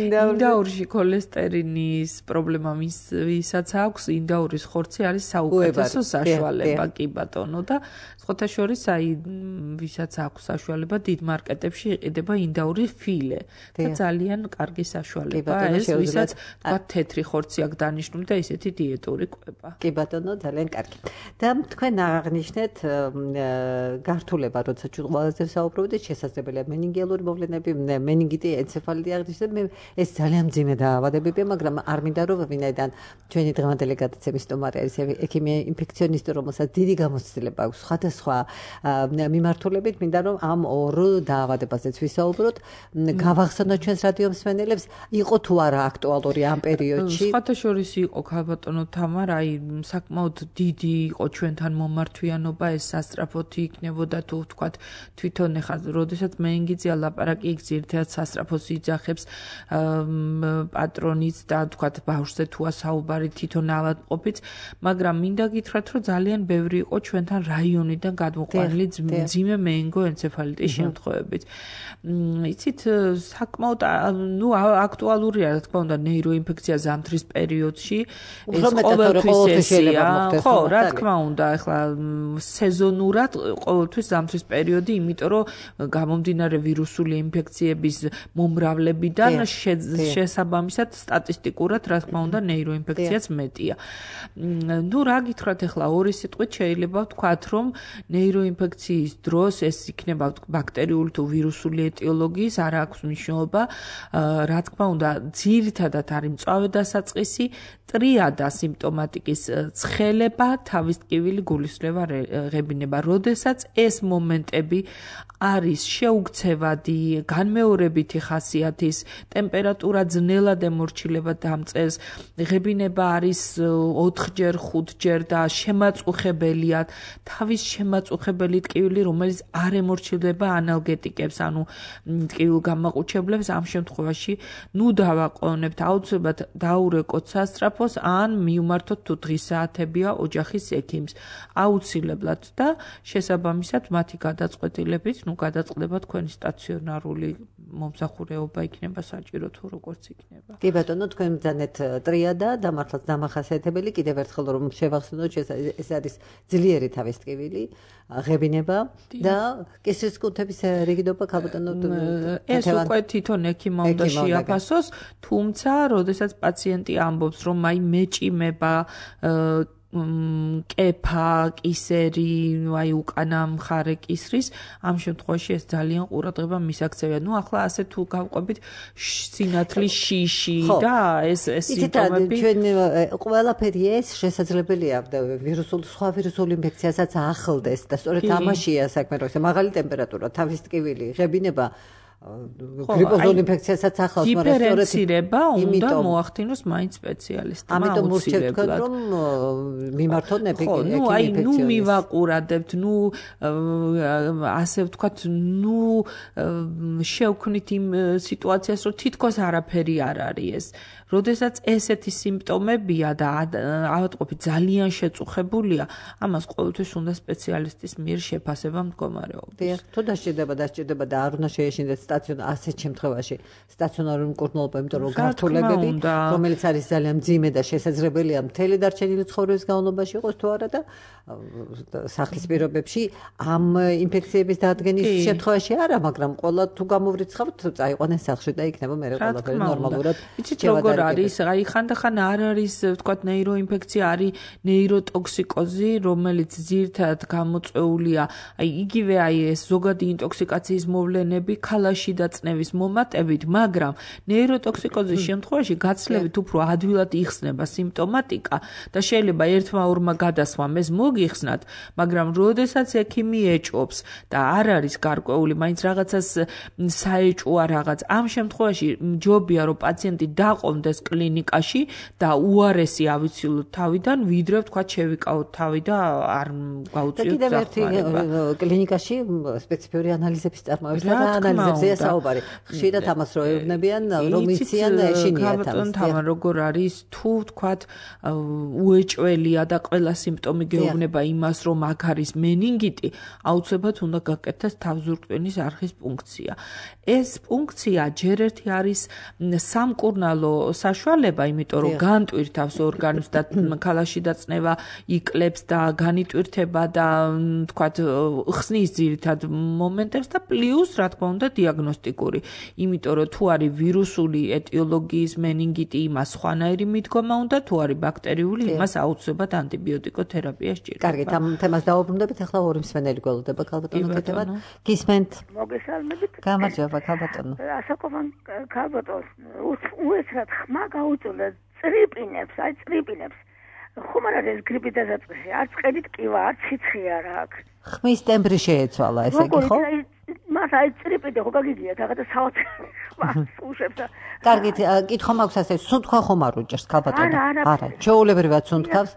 Speaker 3: ინდაურში ქოლესტერინის პრობლემა ვისაც აქვს, ინდაურის ხორცი არის საუკეთესო საშუალება, კი ბატონო და სხვათა შორის აი ვისაც აქვს საშუალება დიდ მარკეტებში იყიდება ინდაური ფილე და ძალიან კარგი საშუალება ეს ვისაც თქვა თეთრი ხორცი აქვს დანიშნული და ისეთი დიეტური კვება.
Speaker 2: კი ბატონო ძალიან კარგი. და თქვენ აღნიშნეთ გართულება, როცა ჩვენ ყველაზე ვსაუბრობთ, შესაძლებელია მენინგიალური მოვლენები, მენინგიტი, ენცეფალიტი აღნიშნეთ, მე ეს ძალიან მძიმე დაავადებებია, მაგრამ არ მინდა რომ ვინაიდან ჩვენი დღევანდელი გადაცემის სტუმარი არის ექიმი ინფექციონისტი, რომელსაც დიდი გამოცდილება აქვს სხვადასხვა მიმართულებით, მინდა რომ ამ ორ დაავადებაზეც ვისაუბროთ, გავახსენოთ ჩვენს რადიო მსმენელებს, იყო თუ არა აქტუალური ამ პერიოდში.
Speaker 3: სხვათა შორის იყო ქალბატონო თამარ, აი საკმაოდ დიდი იყო ჩვენთან მომართვიანობა, ეს სასწრაფოთი იქნებოდა თუ ვთქვათ თვითონ ეხლა როდესაც მეინგიძია ლაპარაკი იქ ძირითადად სასწრაფოს იძახებს პატრონიც და ვთქვათ ბავშვზე თუა საუბარი თვითონ ავადმყოფიც, მაგრამ მინდა გითხრათ რომ ძალიან ბევრი იყო ჩვენთან რაიონიდან გადმოყვანილი მძიმე მეინგო ენცეფალიტის შემთხვევებით. იცით საკმაოდ ნუ აქტუალურია რა თქმა უნდა ნეიროინფექცია ზამთრის პერიოდში ეს ყოველთვის შეიძლება მოხდეს ხო რა თქმა უნდა ეხლა სეზონურად ყოველთვის ზამთრის პერიოდი იმიტომ რომ გამომდინარე ვირუსული ინფექციების მომრავლებიდან შესაბამისად სტატისტიკურად რა თქმა უნდა ნეიროინფექციაც მეტია. ნუ რა გითხრათ ეხლა ორი სიტყვით შეიძლება ვთქვათ რომ ნეიროინფექციის დროს ეს იქნება ბაქტერიული თუ ვირუსული ეტიოლოგიის არ აქვს მნიშვნელობა. რა თქმა უნდა ძირითადად არის მწვავე დასაწყისი, ტრიადა სიმპტომატიკის ცხელება, თავის ტკივილი, გულისრევა, ღებინება. როდესაც ეს მომენტები არის შეუქცევადი, განმეორებითი ხასიათის, ტემპერატურა ძნელად ემორჩილება დამწეს, ღებინება არის ოთხჯერ, ხუთჯერ და შემაწუხებელია, თავის შემაწუხებელი ტკივილი, რომელიც არ ემორჩილება ანალგეტიკებს, ანუ ტკივილ გამაყუჩებლებს, ამ შემთხვევაში ნუ დავაყოვნებთ, აუცილებლად დაურეკოთ სასწრაფოს, ან მიუმართოთ თუ დღის საათებია ოჯახის ექიმს. აუცილებლად და შესაბამისად მათი გადაწყვეტილებით, ნუ გადაწყდება თქვენი სტაციონარული მომსახურეობა იქნება საჭირო თუ როგორც იქნება.
Speaker 2: კი ბატონო, თქვენ ბრძანეთ ტრიადა და მართლაც დამახასიათებელი, კიდევ ერთხელ რომ შევახსენოთ, ეს არის ძლიერი თავის ტკივილი, ღებინება და კისრის კუნთების რიგიდობა ქალბატონო
Speaker 3: ეს უკვე თვითონ ექიმმა უნდა შეაფასოს, თუმცა როდესაც პაციენტი ამბობს რომ აი მეჭიმება კეფა, კისერი, აი უკანა მხარე კისრის, ამ შემთხვევაში ეს ძალიან ყურადღება მისაქცევია. ნუ ახლა ასე თუ გავყვებით სინათლის შიში და ეს ეს სიმპტომები
Speaker 2: ჩვენ ყველაფერი ეს შესაძლებელია ვირუსულ სხვა ვირუსულ ინფექციასაც ახლდეს და სწორედ ამაშია საქმე, რომ მაღალი ტემპერატურა, თავის ტკივილი, ღებინება გრიპოზულ ინფექციასაც ახლავს,
Speaker 3: მაგრამ დიფერენცირება უნდა მოახდინოს მაინც სპეციალისტმა.
Speaker 2: ამიტომ ურჩევთ რომ მიმართოთ ექიმ
Speaker 3: ნუ აი ნუ მივაყურადებთ, ნუ ასე ვთქვათ, ნუ შევქმნით იმ სიტუაციას, რომ თითქოს არაფერი არ არის ეს. როდესაც ესეთი სიმპტომებია და ავადმყოფი ძალიან შეწუხებულია, ამას ყოველთვის უნდა სპეციალისტის მიერ შეფასება მდგომარეობის.
Speaker 2: დიახ, თუ დასჭირდება, დასჭირდება და არ უნდა შეეშინდეთ სტაციონარ ასეთ შემთხვევაში სტაციონარული მკურნალობა, იმიტომ რომ გართულებები, რომელიც არის ძალიან მძიმე და შესაძლებელია მთელი დარჩენილი ცხოვრების განმავლობაში იყოს თუ არა და სახლის პირობებში ამ ინფექციების დადგენის შემთხვევაში არა, მაგრამ ყველა თუ გამოვრიცხავთ, წაიყვანეს სახლში და იქნება მე ყველაფერი ნორმალურად.
Speaker 3: იცით როგორ არის, აი ხანდახან არ არის, ვთქვათ, ნეიროინფექცია, არის ნეიროტოქსიკოზი, რომელიც ძირითადად გამოწვეულია, აი იგივე აი ეს ზოგადი ინტოქსიკაციის მოვლენები, ქალაში და წნევის მომატებით, მაგრამ ნეიროტოქსიკოზის შემთხვევაში გაცლებით უფრო ადვილად იხსნება სიმპტომატიკა და შეიძლება ერთმა ორმა გადასვამ ეს მოგიხსნათ, მაგრამ როდესაც ექიმი ეჭვობს და არ არის გარკვეული, მაინც რაღაცას საეჭვოა რაღაც, ამ შემთხვევაში ჯობია რომ პაციენტი დაყოლმდეს კლინიკაში და უარესი ავიცილოთ თავიდან, ვიდრე ვთქვათ შევიკავოთ თავი და არ გავუწიოთ დახმარება.
Speaker 2: კლინიკაში სპეციფიური ანალიზების წარმოება და ანალიზებზეა საუბარი. ხშირად ამას რო ეუბნებიან, რომ იციან ეშინიათ ამას.
Speaker 3: თამარ როგორ არის, თუ ვთქვათ უეჭველია და ყველა სიმპტომი გეუბნება იმას, რომ აქ არის მენინგიტი, აუცილებლად უნდა გაკეთდეს თავზურტყმენის არხის პუნქცია. ეს პუნქცია ჯერ ერთი არის სამკურნალო საშუალება, იმიტომ რომ განტვირთავს ორგანოს და ქალაში დაწნევა იკლებს და განიტვირთება და თქვათ ხსნის ძირითად მომენტებს და პლუს რა თქმა უნდა დიაგნოსტიკური. იმიტომ რომ თუ არის ვირუსული ეტიოლოგიის მენინგიტი, იმას სხვანაირი მიდგომა უნდა, თუ არის ბაქტერიული, იმას აუცილებლად ანტიბიოტიკოთერაპია სჭირდება.
Speaker 2: კარგით, ამ თემას დავუბრუნდებით, ახლა ორი მსმენელი გველოდება ქალბატონო კეთებად. გისმენთ.
Speaker 5: მოგესალმებით.
Speaker 2: გამარჯობა ქალბატონო.
Speaker 5: ასაკობან ქალბატონს უეცრად ხმა გაუწოდა წრიპინებს, აი წრიპინებს. ხომ არ არის გრიპი დასაწყისი, არც ყედით კივა, არც სიცხე არ აქვს.
Speaker 2: ხმის ტემბრი შეეცვალა, ესე იგი ხო?
Speaker 5: მას აი წრიპინე ხო გაგიგიათ, რაღაცა საოცრ მას უშვებს და
Speaker 2: კარგით, კითხვა მაქვს ასე, სუნთქვა ხომ არ უჭერს ქალბატონო? არა, ჩვეულებრივად სუნთქავს.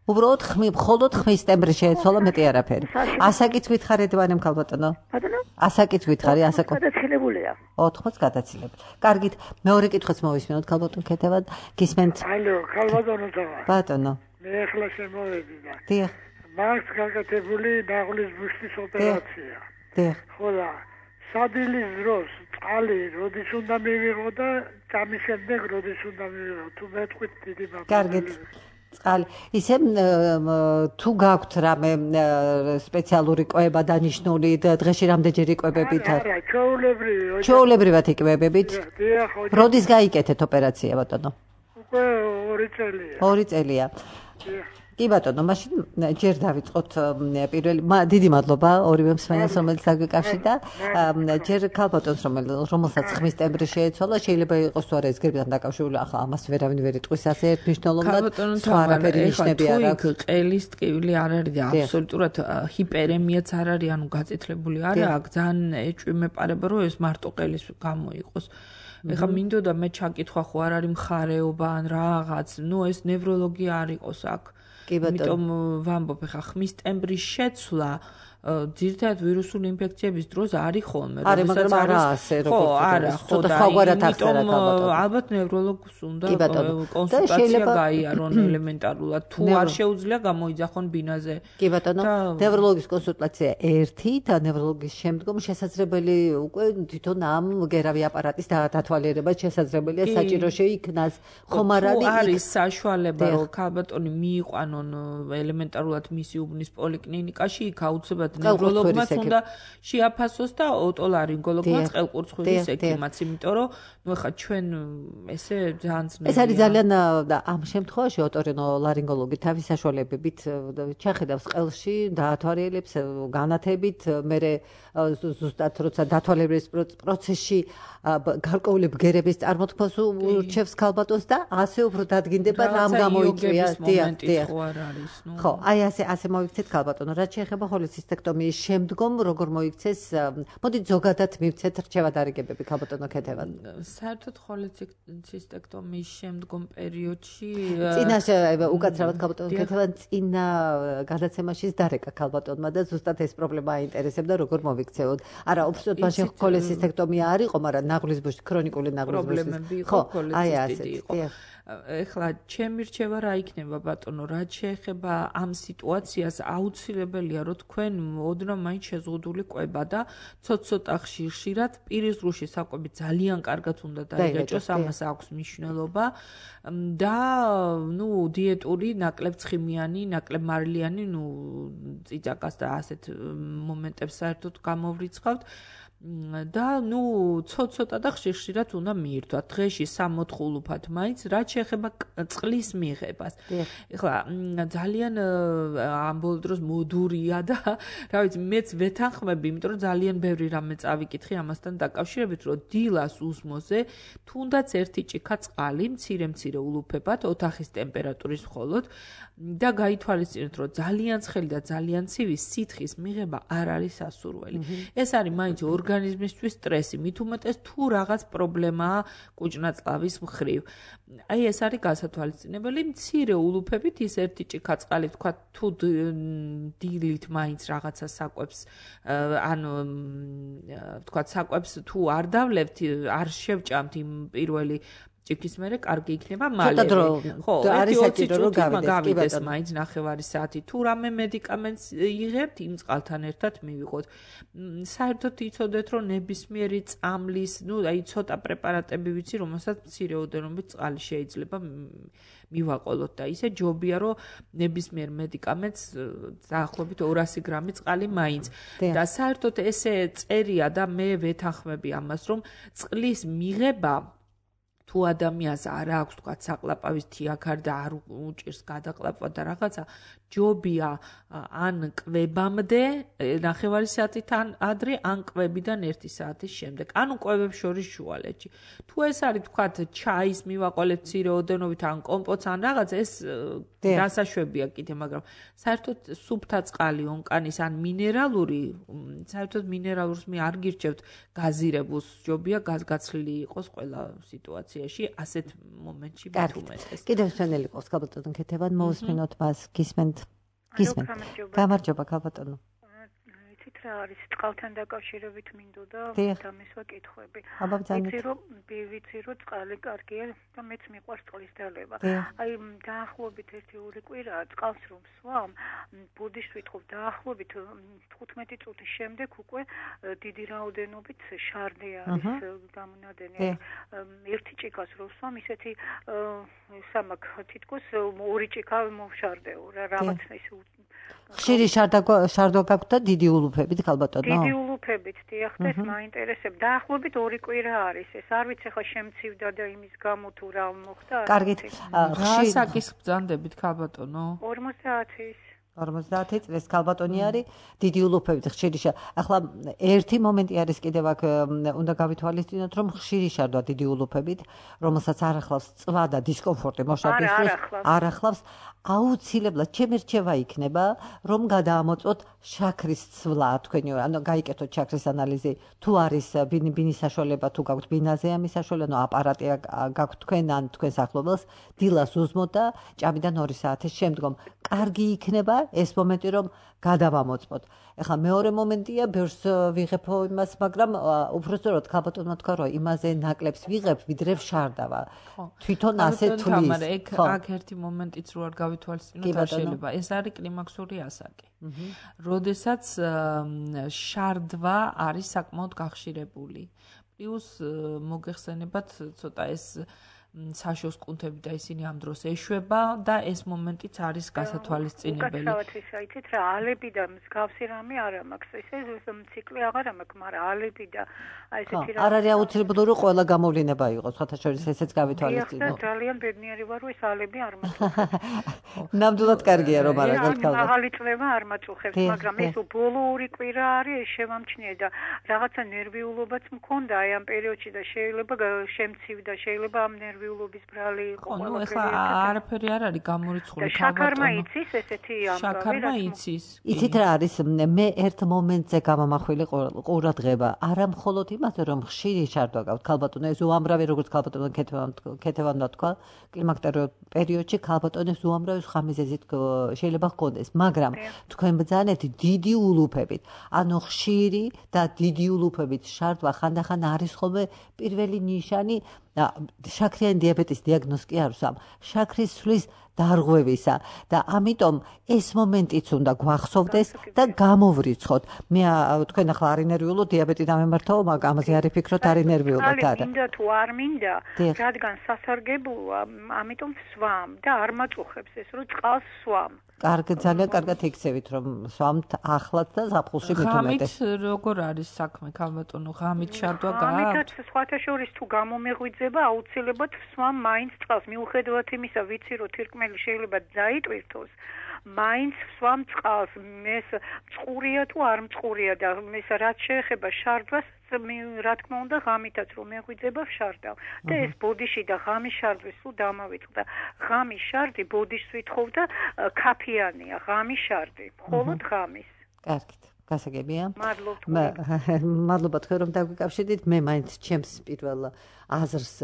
Speaker 2: უბრალოდ ხმი, მხოლოდ ხმის ტემბრი შეეცვალა, მეტი არაფერი. ასაკიც გითხარით ვანემ ქალბატონო?
Speaker 5: ბატონო?
Speaker 2: ასაკიც გითხარი, ასაკო.
Speaker 5: გადაცილებულია.
Speaker 2: ოთხმოც გადაცილებით. კარგით, მეორე კითხვაც მოვისმინოთ ქალბატონ კეთებად. გისმენთ?
Speaker 6: ალო, ქალბატონო დავა.
Speaker 2: ბატონო.
Speaker 6: მე ახლა შემოვედი და.
Speaker 2: დიახ.
Speaker 6: მაქვს გაკეთებული ნაღლის ბუშტის ოპერაცია.
Speaker 2: დიახ.
Speaker 6: ხოლა სადილის დროს წყალი როდის უნდა მივიღო და წამის შემდეგ როდის უნდა მივიღო? თუ მეთქვით დიდი მადლობა.
Speaker 2: კარგით. წყალი. ისე თუ გაქვთ რამე სპეციალური კვება დანიშნული დღეში რამდენჯერ იკვებებით?
Speaker 6: არა, ჩვეულებრივი.
Speaker 2: ჩვეულებრივად იკვებებით?
Speaker 6: დიახ.
Speaker 2: როდის გაიკეთეთ ოპერაცია ბატონო?
Speaker 6: უკვე ორი წელია.
Speaker 2: ორი წელია.
Speaker 6: დიახ.
Speaker 2: კი ბატონო, მაშინ ჯერ დავიწყოთ პირველი დიდი მადლობა ორივე მსმენელს, რომელიც დაგვიკავშირდა. ჯერ ქალბატონს, რომელსაც ხმის ტემბრი შეეცვალა, შეიძლება იყოს თუ არა ეს გრიპთან დაკავშირებული, ახლა ამას ვერავინ ვერ იტყვის ასე ერთ მნიშვნელოვნად. სხვა არაფერი ნიშნები არ აქვს.
Speaker 3: ყელის ტკივილი არ არის და აბსოლუტურად ჰიპერემიაც არ არის, ანუ გაწითლებული არ აქვს. ძალიან ეჭვი მეპარება, რომ ეს მარტო ყელის გამო იყოს. ეხლა მინდოდა მე ჩაკითხვა ხო არ არის მხარეობა ან რაღაც, ნუ ეს ნევროლოგია არ იყოს აქ. იმიტომ ვამბობ, ხა ხმის ტემბრის შეცვლა ძირითადად ვირუსული ინფექციების დროს არის ხოლმე.
Speaker 2: არის, მაგრამ არა ასე როგორც
Speaker 3: ხო, არა, ხო და იმიტომ ალბათ ნევროლოგს უნდა კონსულტაცია გაიარონ ელემენტარულად. თუ არ შეუძლია გამოიძახონ ბინაზე.
Speaker 2: კი ბატონო, ნევროლოგის კონსულტაცია ერთი და ნევროლოგის შემდგომ შესაძლებელი უკვე თვითონ ამ გერავი აპარატის დათვალიერება შესაძლებელია საჭირო შეიქნას. ხომ არ არის?
Speaker 3: არის საშუალება, რომ ქალბატონი მიიყვანონ ელემენტარულად მისი უბნის პოლიკლინიკაში, იქ აუცილებლად ნევროლოგმაც უნდა შეაფასოს და ოტოლარინგოლოგმაც ყელყურცხვირის ექიმაც, იმიტომ რომ ნუ ხა ჩვენ ესე ძალიან ძნელია.
Speaker 2: ეს არის ძალიან ამ შემთხვევაში ოტორინოლარინგოლოგი თავის საშუალებებით ჩახედავს ყელში, დაათვალიერებს განათებით, მერე ზუსტად როცა დათვალიერების პროცესში გარკვეული ბგერების წარმოთქმას ურჩევს ქალბატონს და ასე უფრო დადგინდება რამ გამოიწვია.
Speaker 3: დიახ, დიახ.
Speaker 2: ხო, აი ასე ასე მოიქცეთ ქალბატონო. რაც შეეხება ჰოლეცისტექტომიის შემდგომ როგორ მოიქცეს? მოდით ზოგადად მივცეთ რჩევა დარიგებები ქალბატონო კეთებად.
Speaker 3: საერთოდ ჰოლეცისტექტომიის შემდგომ პერიოდში
Speaker 2: წინაშე უკაცრავად ქალბატონო კეთებად წინა გადაცემაშიც დარეკა ქალბატონმა და ზუსტად ეს პრობლემა აინტერესებდა როგორ მოიქცეოთ. არა, უბრალოდ მაშინ ჰოლეცისტექტომია არ იყო, მაგრამ ნაღლის ბუშტი, ქრონიკული ნაღლის ბუშტი.
Speaker 3: პრობლემები იყო, ჰოლეცისტიტი იყო. ეხლა ჩემი რჩევა რა იქნება ბატონო, რაც შეეხება ამ სიტუაციას აუცილებელია რომ თქვენ ოდნავ მაინც შეზღუდული კვება და ცოტ-ცოტა ხშირ-ხშირად პირის ღრუში საკვები ძალიან კარგად უნდა დაიგაჭოს, ამას აქვს მნიშვნელობა და ნუ დიეტური ნაკლებ ცხიმიანი, ნაკლებ მარილიანი, ნუ წიწაკას და ასეთ მომენტებს საერთოდ გამოვრიცხავთ. და ნუ ცოტ-ცოტა და ხშირ-ხშირად უნდა მიირთვათ. დღეში სამოთხ ულუფად მაინც, რაც შეეხება წყლის მიღებას. ეხლა ძალიან ამ ბოლო დროს მოდურია და რა ვიცი, მეც ვეთანხმები, იმიტომ რომ ძალიან ბევრი რამე წავიკითხი ამასთან დაკავშირებით, რომ დილას უსმოზე თუნდაც ერთი ჭიქა წყალი, მცირე-მცირე ულუფებად, ოთახის ტემპერატურის მხოლოდ და გაითვალისწინოთ, რომ ძალიან ცხელი და ძალიან ცივი სითხის მიღება არ არის სასურველი. ეს არის მაინც ორგანიზმისთვის სტრესი, მით უმეტეს თუ რაღაც პრობლემაა კუჭნაწლავის მხრივ. აი ეს არის გასათვალისწინებელი, მცირე ულუფებით ის ერთი ჭიქა წყალი, თქვა თუ დილით მაინც რაღაცა საკვებს, ანუ თქვა საკვებს თუ არ დავლევთ, არ შევჭამთ იმ პირველი ჭიქის მერე კარგი იქნება მალევე.
Speaker 2: ხო, არის საჭირო რომ
Speaker 3: გავიდეს მაინც ნახევარი საათი. თუ რამე მედიკამენტს იღებთ, იმ წყალთან ერთად მივიღოთ. საერთოდ იცოდეთ, რომ ნებისმიერი წამლის, ну, აი ცოტა პრეპარატები ვიცი, რომელსაც მცირე ოდენობით წყალი შეიძლება მივაყოლოთ და ისე ჯობია, რომ ნებისმიერ მედიკამენტს დაახლოებით ორასი გრამი წყალი მაინც. და საერთოდ ესე წერია და მე ვეთანხმები ამას, რომ წყლის მიღება თუ ადამიანს არ აქვს თქვა საყლაპავის თიაქარი და არ უჭირს გადაყლაპვა და რაღაცა ჯობია ან კვებამდე ნახევარი საათიდან ადრე ან კვებიდან ერთი საათის შემდეგ ანუ კვებებს შორის შუალედში თუ ეს არის თქვა ჩაის მივაყოლეთ მცირე ოდენობით ან კომპოტს ან რაღაცა ეს დასაშვებია კიდე მაგრამ საერთოდ სუფთა წყალი ონკანის ან მინერალური საერთოდ მინერალურს მე არ გირჩევთ გაზირებულს ჯობია გაზგაცლილი იყოს ყველა სიტუაციაში ასეთ მომენტში მithumetes
Speaker 2: კიდევ შენელი ყავს ქალბატონო ქეთევან მოусმინოთ მას გისმენთ გისმენთ გამარჯობა ქალბატონო
Speaker 7: იცით რა არის წყალთან დაკავშირებით მინდოდა დამესვა კითხვები
Speaker 2: იცი
Speaker 7: რომ ვიცი რომ წყალი კარგია და მეც მიყვარს წყლის დალევა აი დაახლოებით ერთი ორი კვირაა წყალს რომ სვამ ბუდიშს ვითხოვ დაახლოებით თხუთმეტი წუთის შემდეგ უკვე დიდი რაოდენობით შარდე არის გამონადენი ერთი ჭიქას რომ სვამ ისეთი სამაკ თითქოს ორი ჭიქა მოვშარდეო რა რაღაც ის
Speaker 2: ხშირი შარდვა გაქვთ და დიდი ულუფებით ქალბატონო?
Speaker 7: დიდი ულუფებით, დიახ, ეს მაინტერესებს. დაახლოებით ორი კვირა არის ეს. არ ვიცი ხა შემცივდა და იმის გამო თუ რა მოხდა.
Speaker 2: კარგით.
Speaker 3: რა საკის ბრძანდებით ქალბატონო?
Speaker 7: ორმოცდაათის
Speaker 2: ორმოცდაათი წლის ქალბატონი არის დიდი ულუფებით ხშირი შარდვა. ახლა ერთი მომენტი არის კიდევ აქ უნდა გავითვალისწინოთ რომ ხშირი შარდვა დიდი ულუფებით, რომელსაც არ ახლავს წვა და დისკომფორტი მოშარდისთვის, არ ახლავს აუცილებლად ჩემი რჩევა იქნება რომ გადაამოწმოთ შაქრის ცვლა თქვენი ანუ გაიკეთოთ შაქრის ანალიზი თუ არის ბინის საშუალება თუ გაქვთ ბინაზე ამის საშუალება ანუ აპარატი გაქვთ თქვენ ან თქვენ სახლობელს დილას უზმოთ და ჭამიდან ორი საათის შემდგომ კარგი იქნება ეს მომენტი რომ გადავამოწმოთ. ეხლა მეორე მომენტია ბევრს ვიღებო იმას, მაგრამ უბრალოდ ქალბატონმა თქვა რომ იმაზე ნაკლებს ვიღებ, ვიდრე შარდავა. თვითონ ასე თulis.
Speaker 3: ხო, აქ ერთი მომენტიც რო არ გავითვალისწინოთ არ შეიძლება. ეს არის კლიმაქსური ასაკი. როდესაც შარდვა არის საკმაოდ გახშირებული. პლუს მოგეხსენებათ ცოტა ეს საშოს კუნთები და ისინი ამ დროს ეშვება და ეს მომენტიც არის გასათვალისწინებელი.
Speaker 7: უკაცრავად ის აიცით რა ალები და მსგავსი რამე არა მაქვს. ეს ციკლი აღარ მაქვს, მაგრამ ალები და აი ესეთი რა.
Speaker 2: არ არის აუცილებელი რომ ყველა გამოვლენა იყოს, სხვათა შორის ესეც გავითვალისწინოთ.
Speaker 7: და ძალიან ბედნიერი ვარ რომ ეს ალები არ მაქვს.
Speaker 2: ნამდვილად კარგია რომ არ აქვს
Speaker 7: ქალბატონი. მაღალი წლება არ მაწუხებს, მაგრამ ეს ბოლო ორი კვირა არის ეს შევამჩნიე და რაღაცა ნერვიულობაც მქონდა აი ამ პერიოდში და შეიძლება შემცივდა, შეიძლება ამ ნერვიულობის ბრალი იყო
Speaker 3: ყველა. ნუ ეხლა არაფერი არ არის გამორიცხული
Speaker 7: ქალბატონი. შაქარმა იცის ესეთი ამბავი.
Speaker 3: შაქარმა იცის.
Speaker 2: იცით რა არის მე ერთ მომენტზე გამამახვილი ყურადღება. არა მხოლოდ იმაზე რომ ხშირი შარდვა გაქვთ ქალბატონო ეს უამრავი როგორც ქალბატონო ქეთევანმა თქვა კლიმაკტერულ პერიოდში ქალბატონებს უამრავი სხვა მიზეზით შეიძლება ჰქონდეს, მაგრამ თქვენ ბრძანეთ დიდი ულუფებით. ანუ ხშირი და დიდი ულუფებით შარდვა ხანდახან არის ხოლმე პირველი ნიშანი შაქრიანი დიაბეტის დიაგნოზი არ ვსვამ. შაქრის ცვლის დარღვევისა და ამიტომ ეს მომენტიც უნდა გვახსოვდეს და გამოვრიცხოთ. მე თქვენ ახლა არ ინერვიულო დიაბეტი დამემართაო, მაგრამ ამაზე არ იფიქროთ არ ინერვიულო და
Speaker 7: არა. მინდა თუ არ მინდა, რადგან სასარგებლოა, ამიტომ ვსვამ და არ მაწუხებს ეს რომ წყალს სვამ.
Speaker 2: კარგი, ძალიან კარგად იქცევით რომ სვამთ ახლაც და ზაფხულში მithumetes.
Speaker 3: ღამით როგორ არის საქმე ქალბატონო? ღამით შარდვა გააქვთ?
Speaker 7: ღამითაც სხვათა შორის თუ გამომეღვიძება, აუცილებლად ვსვამ მაინც წყალს. მიუხედავად იმისა, ვიცი რომ თირკმელი შეიძლება დაიტვირთოს. მაინც ვსვამ წყალს. მეს მწყურია თუ არ მწყურია და მეს რაც შეეხება შარდვას რა თქმა უნდა ღამითაც რომ მეღვიძება ვშარდავ და ეს ბოდიში და ღამის შარდვის სულ დამავიწყდა. ღამის შარდი ბოდიშს ვითხოვ და ქაფიანია ღამის შარდი, მხოლოდ ღამის.
Speaker 2: კარგით. გასაგებია.
Speaker 7: მადლობა.
Speaker 2: მადლობა თქვენ რომ დაგვიკავშირდით. მე მაინც ჩემს პირველ აზრს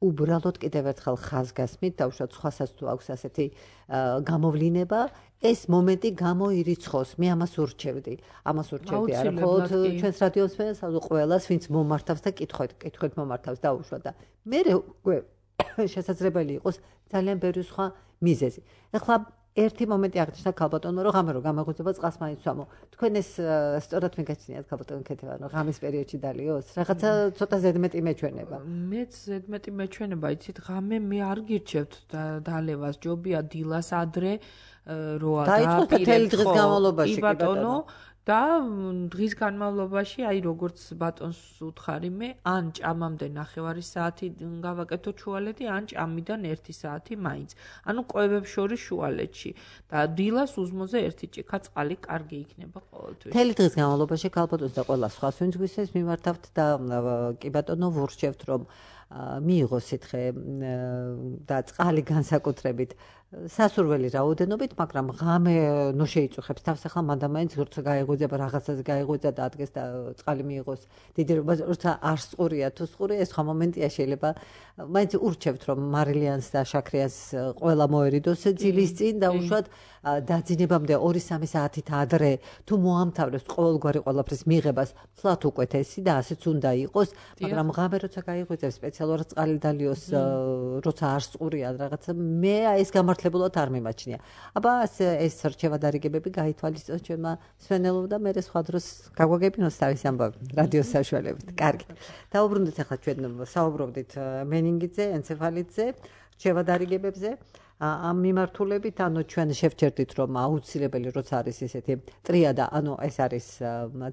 Speaker 2: უბრალოდ კიდევ ერთხელ ხაზგასმით დავუშვათ სხვასაც თუ აქვს ასეთი გამოვლინება ეს მომენტი გამოირიცხოს. მე ამას ურჩევდი. ამას ურჩევდი არა მხოლოდ ჩვენს რადიოსმენს, ანუ ყველას ვინც მომართავს და კითხვით, კითხვით მომართავს დაუშვათ და მე უკვე შესაძლებელი იყოს ძალიან ბევრი სხვა მიზეზი. ეხლა ერთი მომენტი აღნიშნა ქალბატონმა, რომ ღამე რო გამაღვიძება წყალს მაინც ვამო. თქვენ ეს სწორად მიგაჩნიათ ქალბატონ ქეთევან, რომ ღამის პერიოდში დალიოს? რაღაცა ცოტა ზედმეტი მეჩვენება.
Speaker 3: მეც ზედმეტი მეჩვენება, იცით, ღამე მე არ გირჩევთ დალევას, ჯობია დილას ადრე როა
Speaker 2: დააპირებთ დღის განმავლობაში,
Speaker 3: კი ბატონო. და დღის განმავლობაში, აი როგორც ბატონს უთხარი მე, ან ჭამამდე ნახევარი საათი გავაკეთო ჩუალეთი, ან ჭამიდან ერთი საათი მაინც. ანუ კვებებს შორის შუალეთში და დილას უზმოზე ერთი ჭიქა წყალი კარგი იქნება ყოველთვის.
Speaker 2: მთელი დღის განმავლობაში ქალბატონს და ყველა სხვას ვინც გვისმენს მიმართავთ და კი ბატონო ვურჩევთ, რომ მიიღოს სითხე და წყალი განსაკუთრებით სასურველი რაოდენობით, მაგრამ ღამე ნუ შეიწუხებს თავს, ახლა მანდამაინც როცა გაეღვიძება რაღაცაზე გაეღვიძა და ადგეს და წყალი მიიღოს დიდი როცა არ სწყურია თუ სწყურია, ეს სხვა მომენტია შეიძლება მაინც ურჩევთ, რომ მარილიანს და შაქრიას ყველა მოერიდოს ძილის წინ და უშუალოდ დაძინებამდე ორი სამი საათით ადრე თუ მოამთავრებს ყოველგვარი ყველაფრის მიღებას, ფლათ უკეთესი და ასეც უნდა იყოს, მაგრამ ღამე როცა გაეღვიძებს სპეციალურად წყალი დალიოს, როცა არ სწყურია რაღაცა, მე ეს გამართლებულად არ მიმაჩნია. აბა ეს რჩევა დარიგებები გაითვალისწინოთ ჩვენმა მსმენელობ და მე სხვა დროს გაგვაგებინოს თავის ამბავი რადიოს საშუალებით. კარგი. დაუბრუნდით ახლა ჩვენ საუბრობდით მენინგიტზე, ენცეფალიტზე, რჩევა დარიგებებზე. ამ მიმართულებით, ანუ ჩვენ შევჩერდით, რომ აუცილებელი როცა არის ესეთი ტრიადა, ანუ ეს არის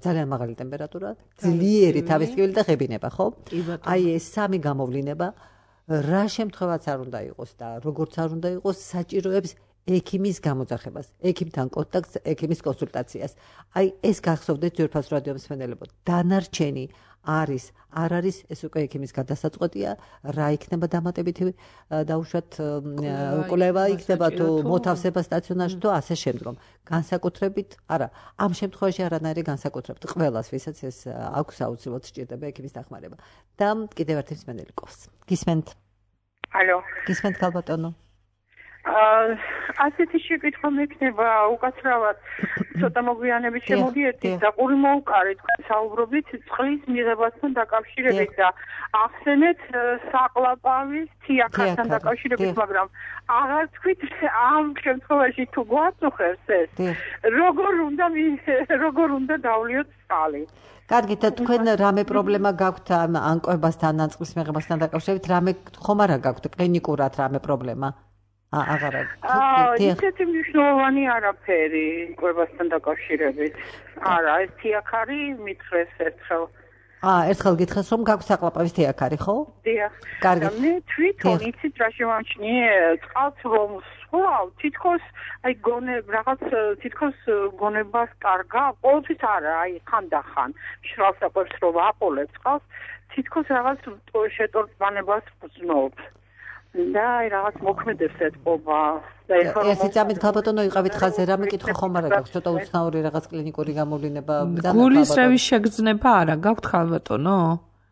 Speaker 2: ძალიან მაღალი ტემპერატურა, ძლიერი თავისკივილი და ღებინება, ხო? აი ეს სამი გამოვლინება რა შემთხვევაც არ უნდა იყოს და როგორც არ უნდა იყოს, საჭიროებს ექიმის გამოძახებას, ექიმთან კონტაქტს, ექიმის კონსულტაციას. აი ეს გახსოვდეთ ძვირფას რადიო მსმენელებო. დანარჩენი არის, არ არის, ეს უკვე ექიმის გადასაწყვეტია, რა იქნება დამატებითი დაუშვათ კვლევა იქნება თუ მოთავსება სტაციონარში თუ ასე შემდგომ. განსაკუთრებით, არა, ამ შემთხვევაში არანაირი განსაკუთრებით ყველას, ვისაც ეს აქვს აუცილებლად სჭირდება ექიმის დახმარება. და კიდევ ერთი მსმენელი ყავს. გისმენთ?
Speaker 7: ალო.
Speaker 2: გისმენთ ქალბატონო?
Speaker 7: ასეთი შეკითხვა მექნება უკაცრავად ცოტა მოგვიანებით შემოგიერთით და ყური მოუყარეთ საუბრობით წყლის მიღებასთან დაკავშირებით და ახსენეთ საყლაპავის თიაქართან დაკავშირებით, მაგრამ აღარ თქვით ამ შემთხვევაში თუ გვაწუხებს ეს როგორ უნდა როგორ უნდა დავლიოთ წყალი.
Speaker 2: კარგი, და თქვენ რამე პრობლემა გაქვთ ან კვებასთან ან წყლის მიღებასთან დაკავშირებით, რამე ხომ არა გაქვთ კლინიკურად რამე პრობლემა? აღარ არის.
Speaker 7: ისეთი მნიშვნელოვანი არაფერი კვებასთან დაკავშირებით. არა, ეს თიაქარი მითხრეს ერთხელ.
Speaker 2: აა, ერთხელ გითხრეს, რომ გაქვს საყლაპავის თიაქარი, ხო?
Speaker 7: დიახ.
Speaker 2: კარგი.
Speaker 7: და მე თვითონ იცით რა შევამჩნიე, წყალს რომ სვავ, თითქოს აი გონე რაღაც თითქოს გონებას კარგა, ყოველთვის არა, აი ხანდახან მშრალ საკვებს რომ აყოლებ წყალს, თითქოს რაღაც შეტორწმანებას ვზნობ. და აი რაღაც მოქმედებს ეთყობა და ეხლა
Speaker 2: ერთი წამით ქალბატონო იყავით ხაზე, რამე კითხვა ხომ არა გაქვს, ცოტა უცნაური რაღაც კლინიკური გამოვლინება და
Speaker 3: გულისრევის შეგრძნება არა გაქვთ ქალბატონო?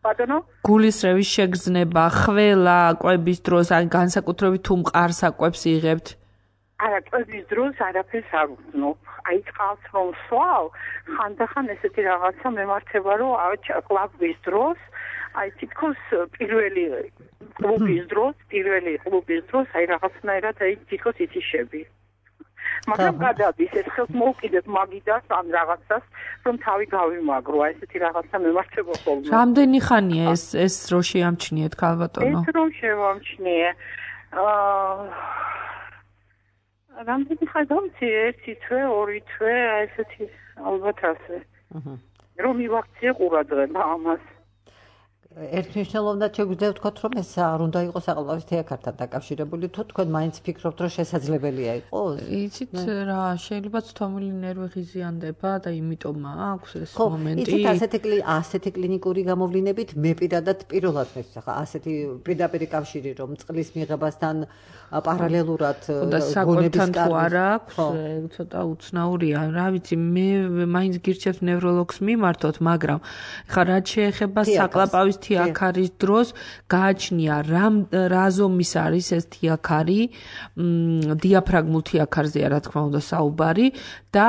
Speaker 7: ბატონო?
Speaker 3: გულისრევის შეგრძნება, ხველა კვების დროს, ან განსაკუთრებით თუ მყარს აკვებს იღებთ?
Speaker 7: არა, კვების დროს არაფერს არ ვზნობ. აი წყალს რომ სვავ, ხანდახან ესეთი რაღაცა მემართება, რომ კვების დროს აი თითქოს პირველი კლუბის დროს, პირველი კლუბის დროს აი რაღაცნაირად აი თითქოს იციშები. მაგრამ გადადის ეს ხელს მოვკიდებ მაგიდას ან რაღაცას, რომ თავი გავიმაგრო, აი ესეთი რაღაცა მემართება ხოლმე.
Speaker 3: რამდენი ხანია ეს ეს რო შეამჩნიეთ ქალბატონო?
Speaker 7: ეს რომ შევამჩნიე. აა რამდენი ხანი დავიცი, ერთი თვე, ორი თვე, აი ესეთი ალბათ ასე. აჰა. რომ მივაქციე ყურადღება ამას.
Speaker 2: ერთ მნიშვნელოვნად შეგვიძლია ვთქვათ, რომ ეს არ უნდა იყოს საყლაპავის თიაქართან დაკავშირებული, თუ თქვენ მაინც ფიქრობთ, რომ შესაძლებელია იყოს?
Speaker 3: იცით რა, შეიძლება ცთომილი ნერვი ღიზიანდება და იმიტომ აქვს ეს მომენტი.
Speaker 2: იცით, ასეთი ასეთი კლინიკური გამოვლინებით მე პირადად პირველად მესვს ახლა ასეთი პირდაპირ კავშირი, რომ წყლის მიღებასთან პარალელურად
Speaker 3: გონების თუ არა აქვს, ცოტა უცნაურია. რა ვიცი, მე მაინც გირჩევთ ნევროლოგს მიმართოთ, მაგრამ ხა რაც შეეხება საყლაპავის თიაქარის დროს გააჩნია რამ რა ზომის არის ეს თიაქარი, დიაფრაგმულ თიაქარზეა რა თქმა უნდა საუბარი და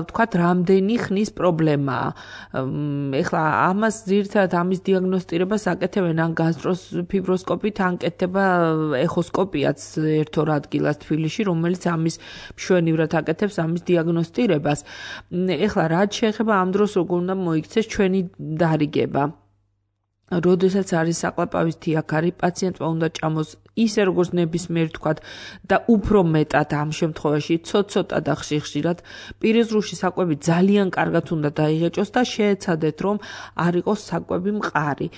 Speaker 3: თქვათ რამდენი ხნის პრობლემაა. ეხლა ამას ძირითადად ამის დიაგნოსტირებას აკეთებენ ან გასტროფიბროსკოპით, ან კეთდება ეხოსკოპიაც ერთ-ორ ადგილას თბილისში, რომელიც ამის მშვენივრად აკეთებს ამის დიაგნოსტირებას. ეხლა რაც შეეხება ამ დროს როგორ უნდა მოიქცეს ჩვენი დარიგება. როდესაც არის საყლაპავის თიაქარი, პაციენტმა უნდა ჭამოს ისე როგორც ნებისმიერ თქვათ და უფრო მეტად ამ შემთხვევაში ცოტ-ცოტა და ხშირ-ხშირად პირიზრუში საკვები ძალიან კარგად უნდა დაიღეჭოს და შეეცადეთ რომ არ იყოს საკვები მყარი.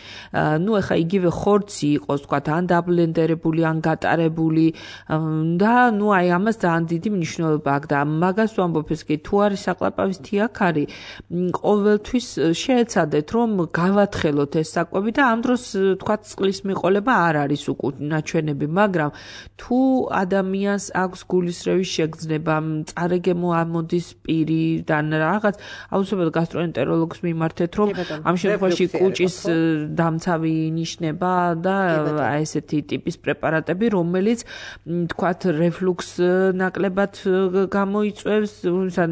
Speaker 3: ნუ ეხა იგივე ხორცი იყოს თქვათ ან დაბლენდერებული ან გატარებული და ნუ აი ამას ძალიან დიდი მნიშვნელობა აქვს და მაგას ვამბობ ეს კი თუ არის საყლაპავის თიაქარი ყოველთვის შეეცადეთ რომ გავათხელოთ ეს საკვები და ამ დროს თქვათ წყლის მიყოლება არ არის უკუნა მაგრამ თუ ადამიანს აქვს გულისრევის შეგრძნება, წარეგემო ამოდის პირიდან რაღაც, აუცილებლად გასტროენტეროლოგს მიმართეთ, რომ ამ შემთხვევაში კუჭის დამცავი ინიშნება და აი ესეთი ტიპის პრეპარატები, რომელიც თქვათ რეფლუქს ნაკლებად გამოიწვევს,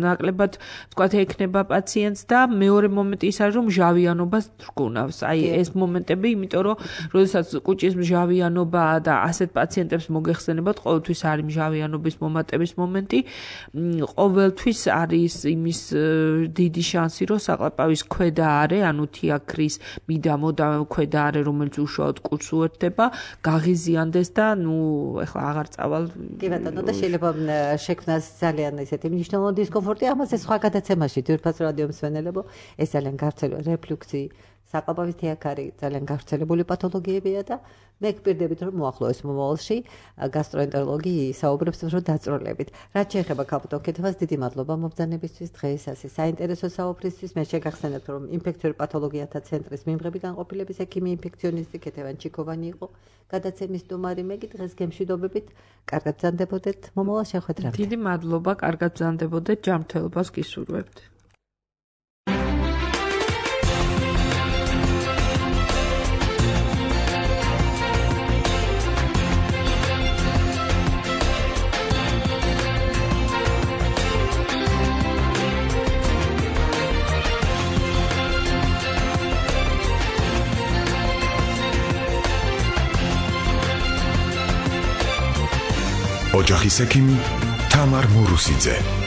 Speaker 3: ნაკლებად თქვათ ექნება პაციენტს და მეორე მომენტი ის არის, რომ მჟავიანობას თრგუნავს. აი ეს მომენტები, იმიტომ რომ როდესაც კუჭის მჟავიანობაა და ასეთ პაციენტებს მოგეხსენებათ, ყოველთვის არის მჟავიანობის მომატების მომენტი, ყოველთვის არის იმის დიდი შანსი, რომ საყლაპავის ქვედა არე, ანუ თიაქრის მიდამო და ქვედა არე, რომელიც უშუალოდ კუჭს უერთდება, გაღიზიანდეს და ნუ ეხლა აღარ წავალ.
Speaker 2: კი ბატონო, და შეიძლება შექმნას ძალიან ესეთი მნიშვნელოვანი დისკომფორტი, ამაზე სხვა გადაცემაში ძვირფას რადიო მსმენელებო, ეს ძალიან გავრცელებული რეფლუქსი, საყლაპავის თიაქარი ძალიან გავრცელებული პათოლოგიებია და მე გპირდებით რომ მოახლოეს მომავალში გასტროენტეროლოგი საუბრობს რომ დაწროლებით. რაც შეეხება კაპუტო კეთებას, დიდი მადლობა მომბრძანებისთვის დღეს ასე საინტერესო საუბრისთვის. მე შეგახსენებთ რომ ინფექციური პათოლოგიათა ცენტრის მიმღები განყოფილების ექიმი ინფექციონისტი კეთევან ჩიკოვანი იყო გადაცემის სტუმარი. მე კი დღეს გემშვიდობებით, კარგად ბრძანდებოდეთ, მომავალ შეხვედრამდე.
Speaker 3: დიდი მადლობა, კარგად ბრძანდებოდეთ, ჯანმრთელობას გისურვებთ.
Speaker 1: ოჯახის ექიმი თამარ მურუსიძე.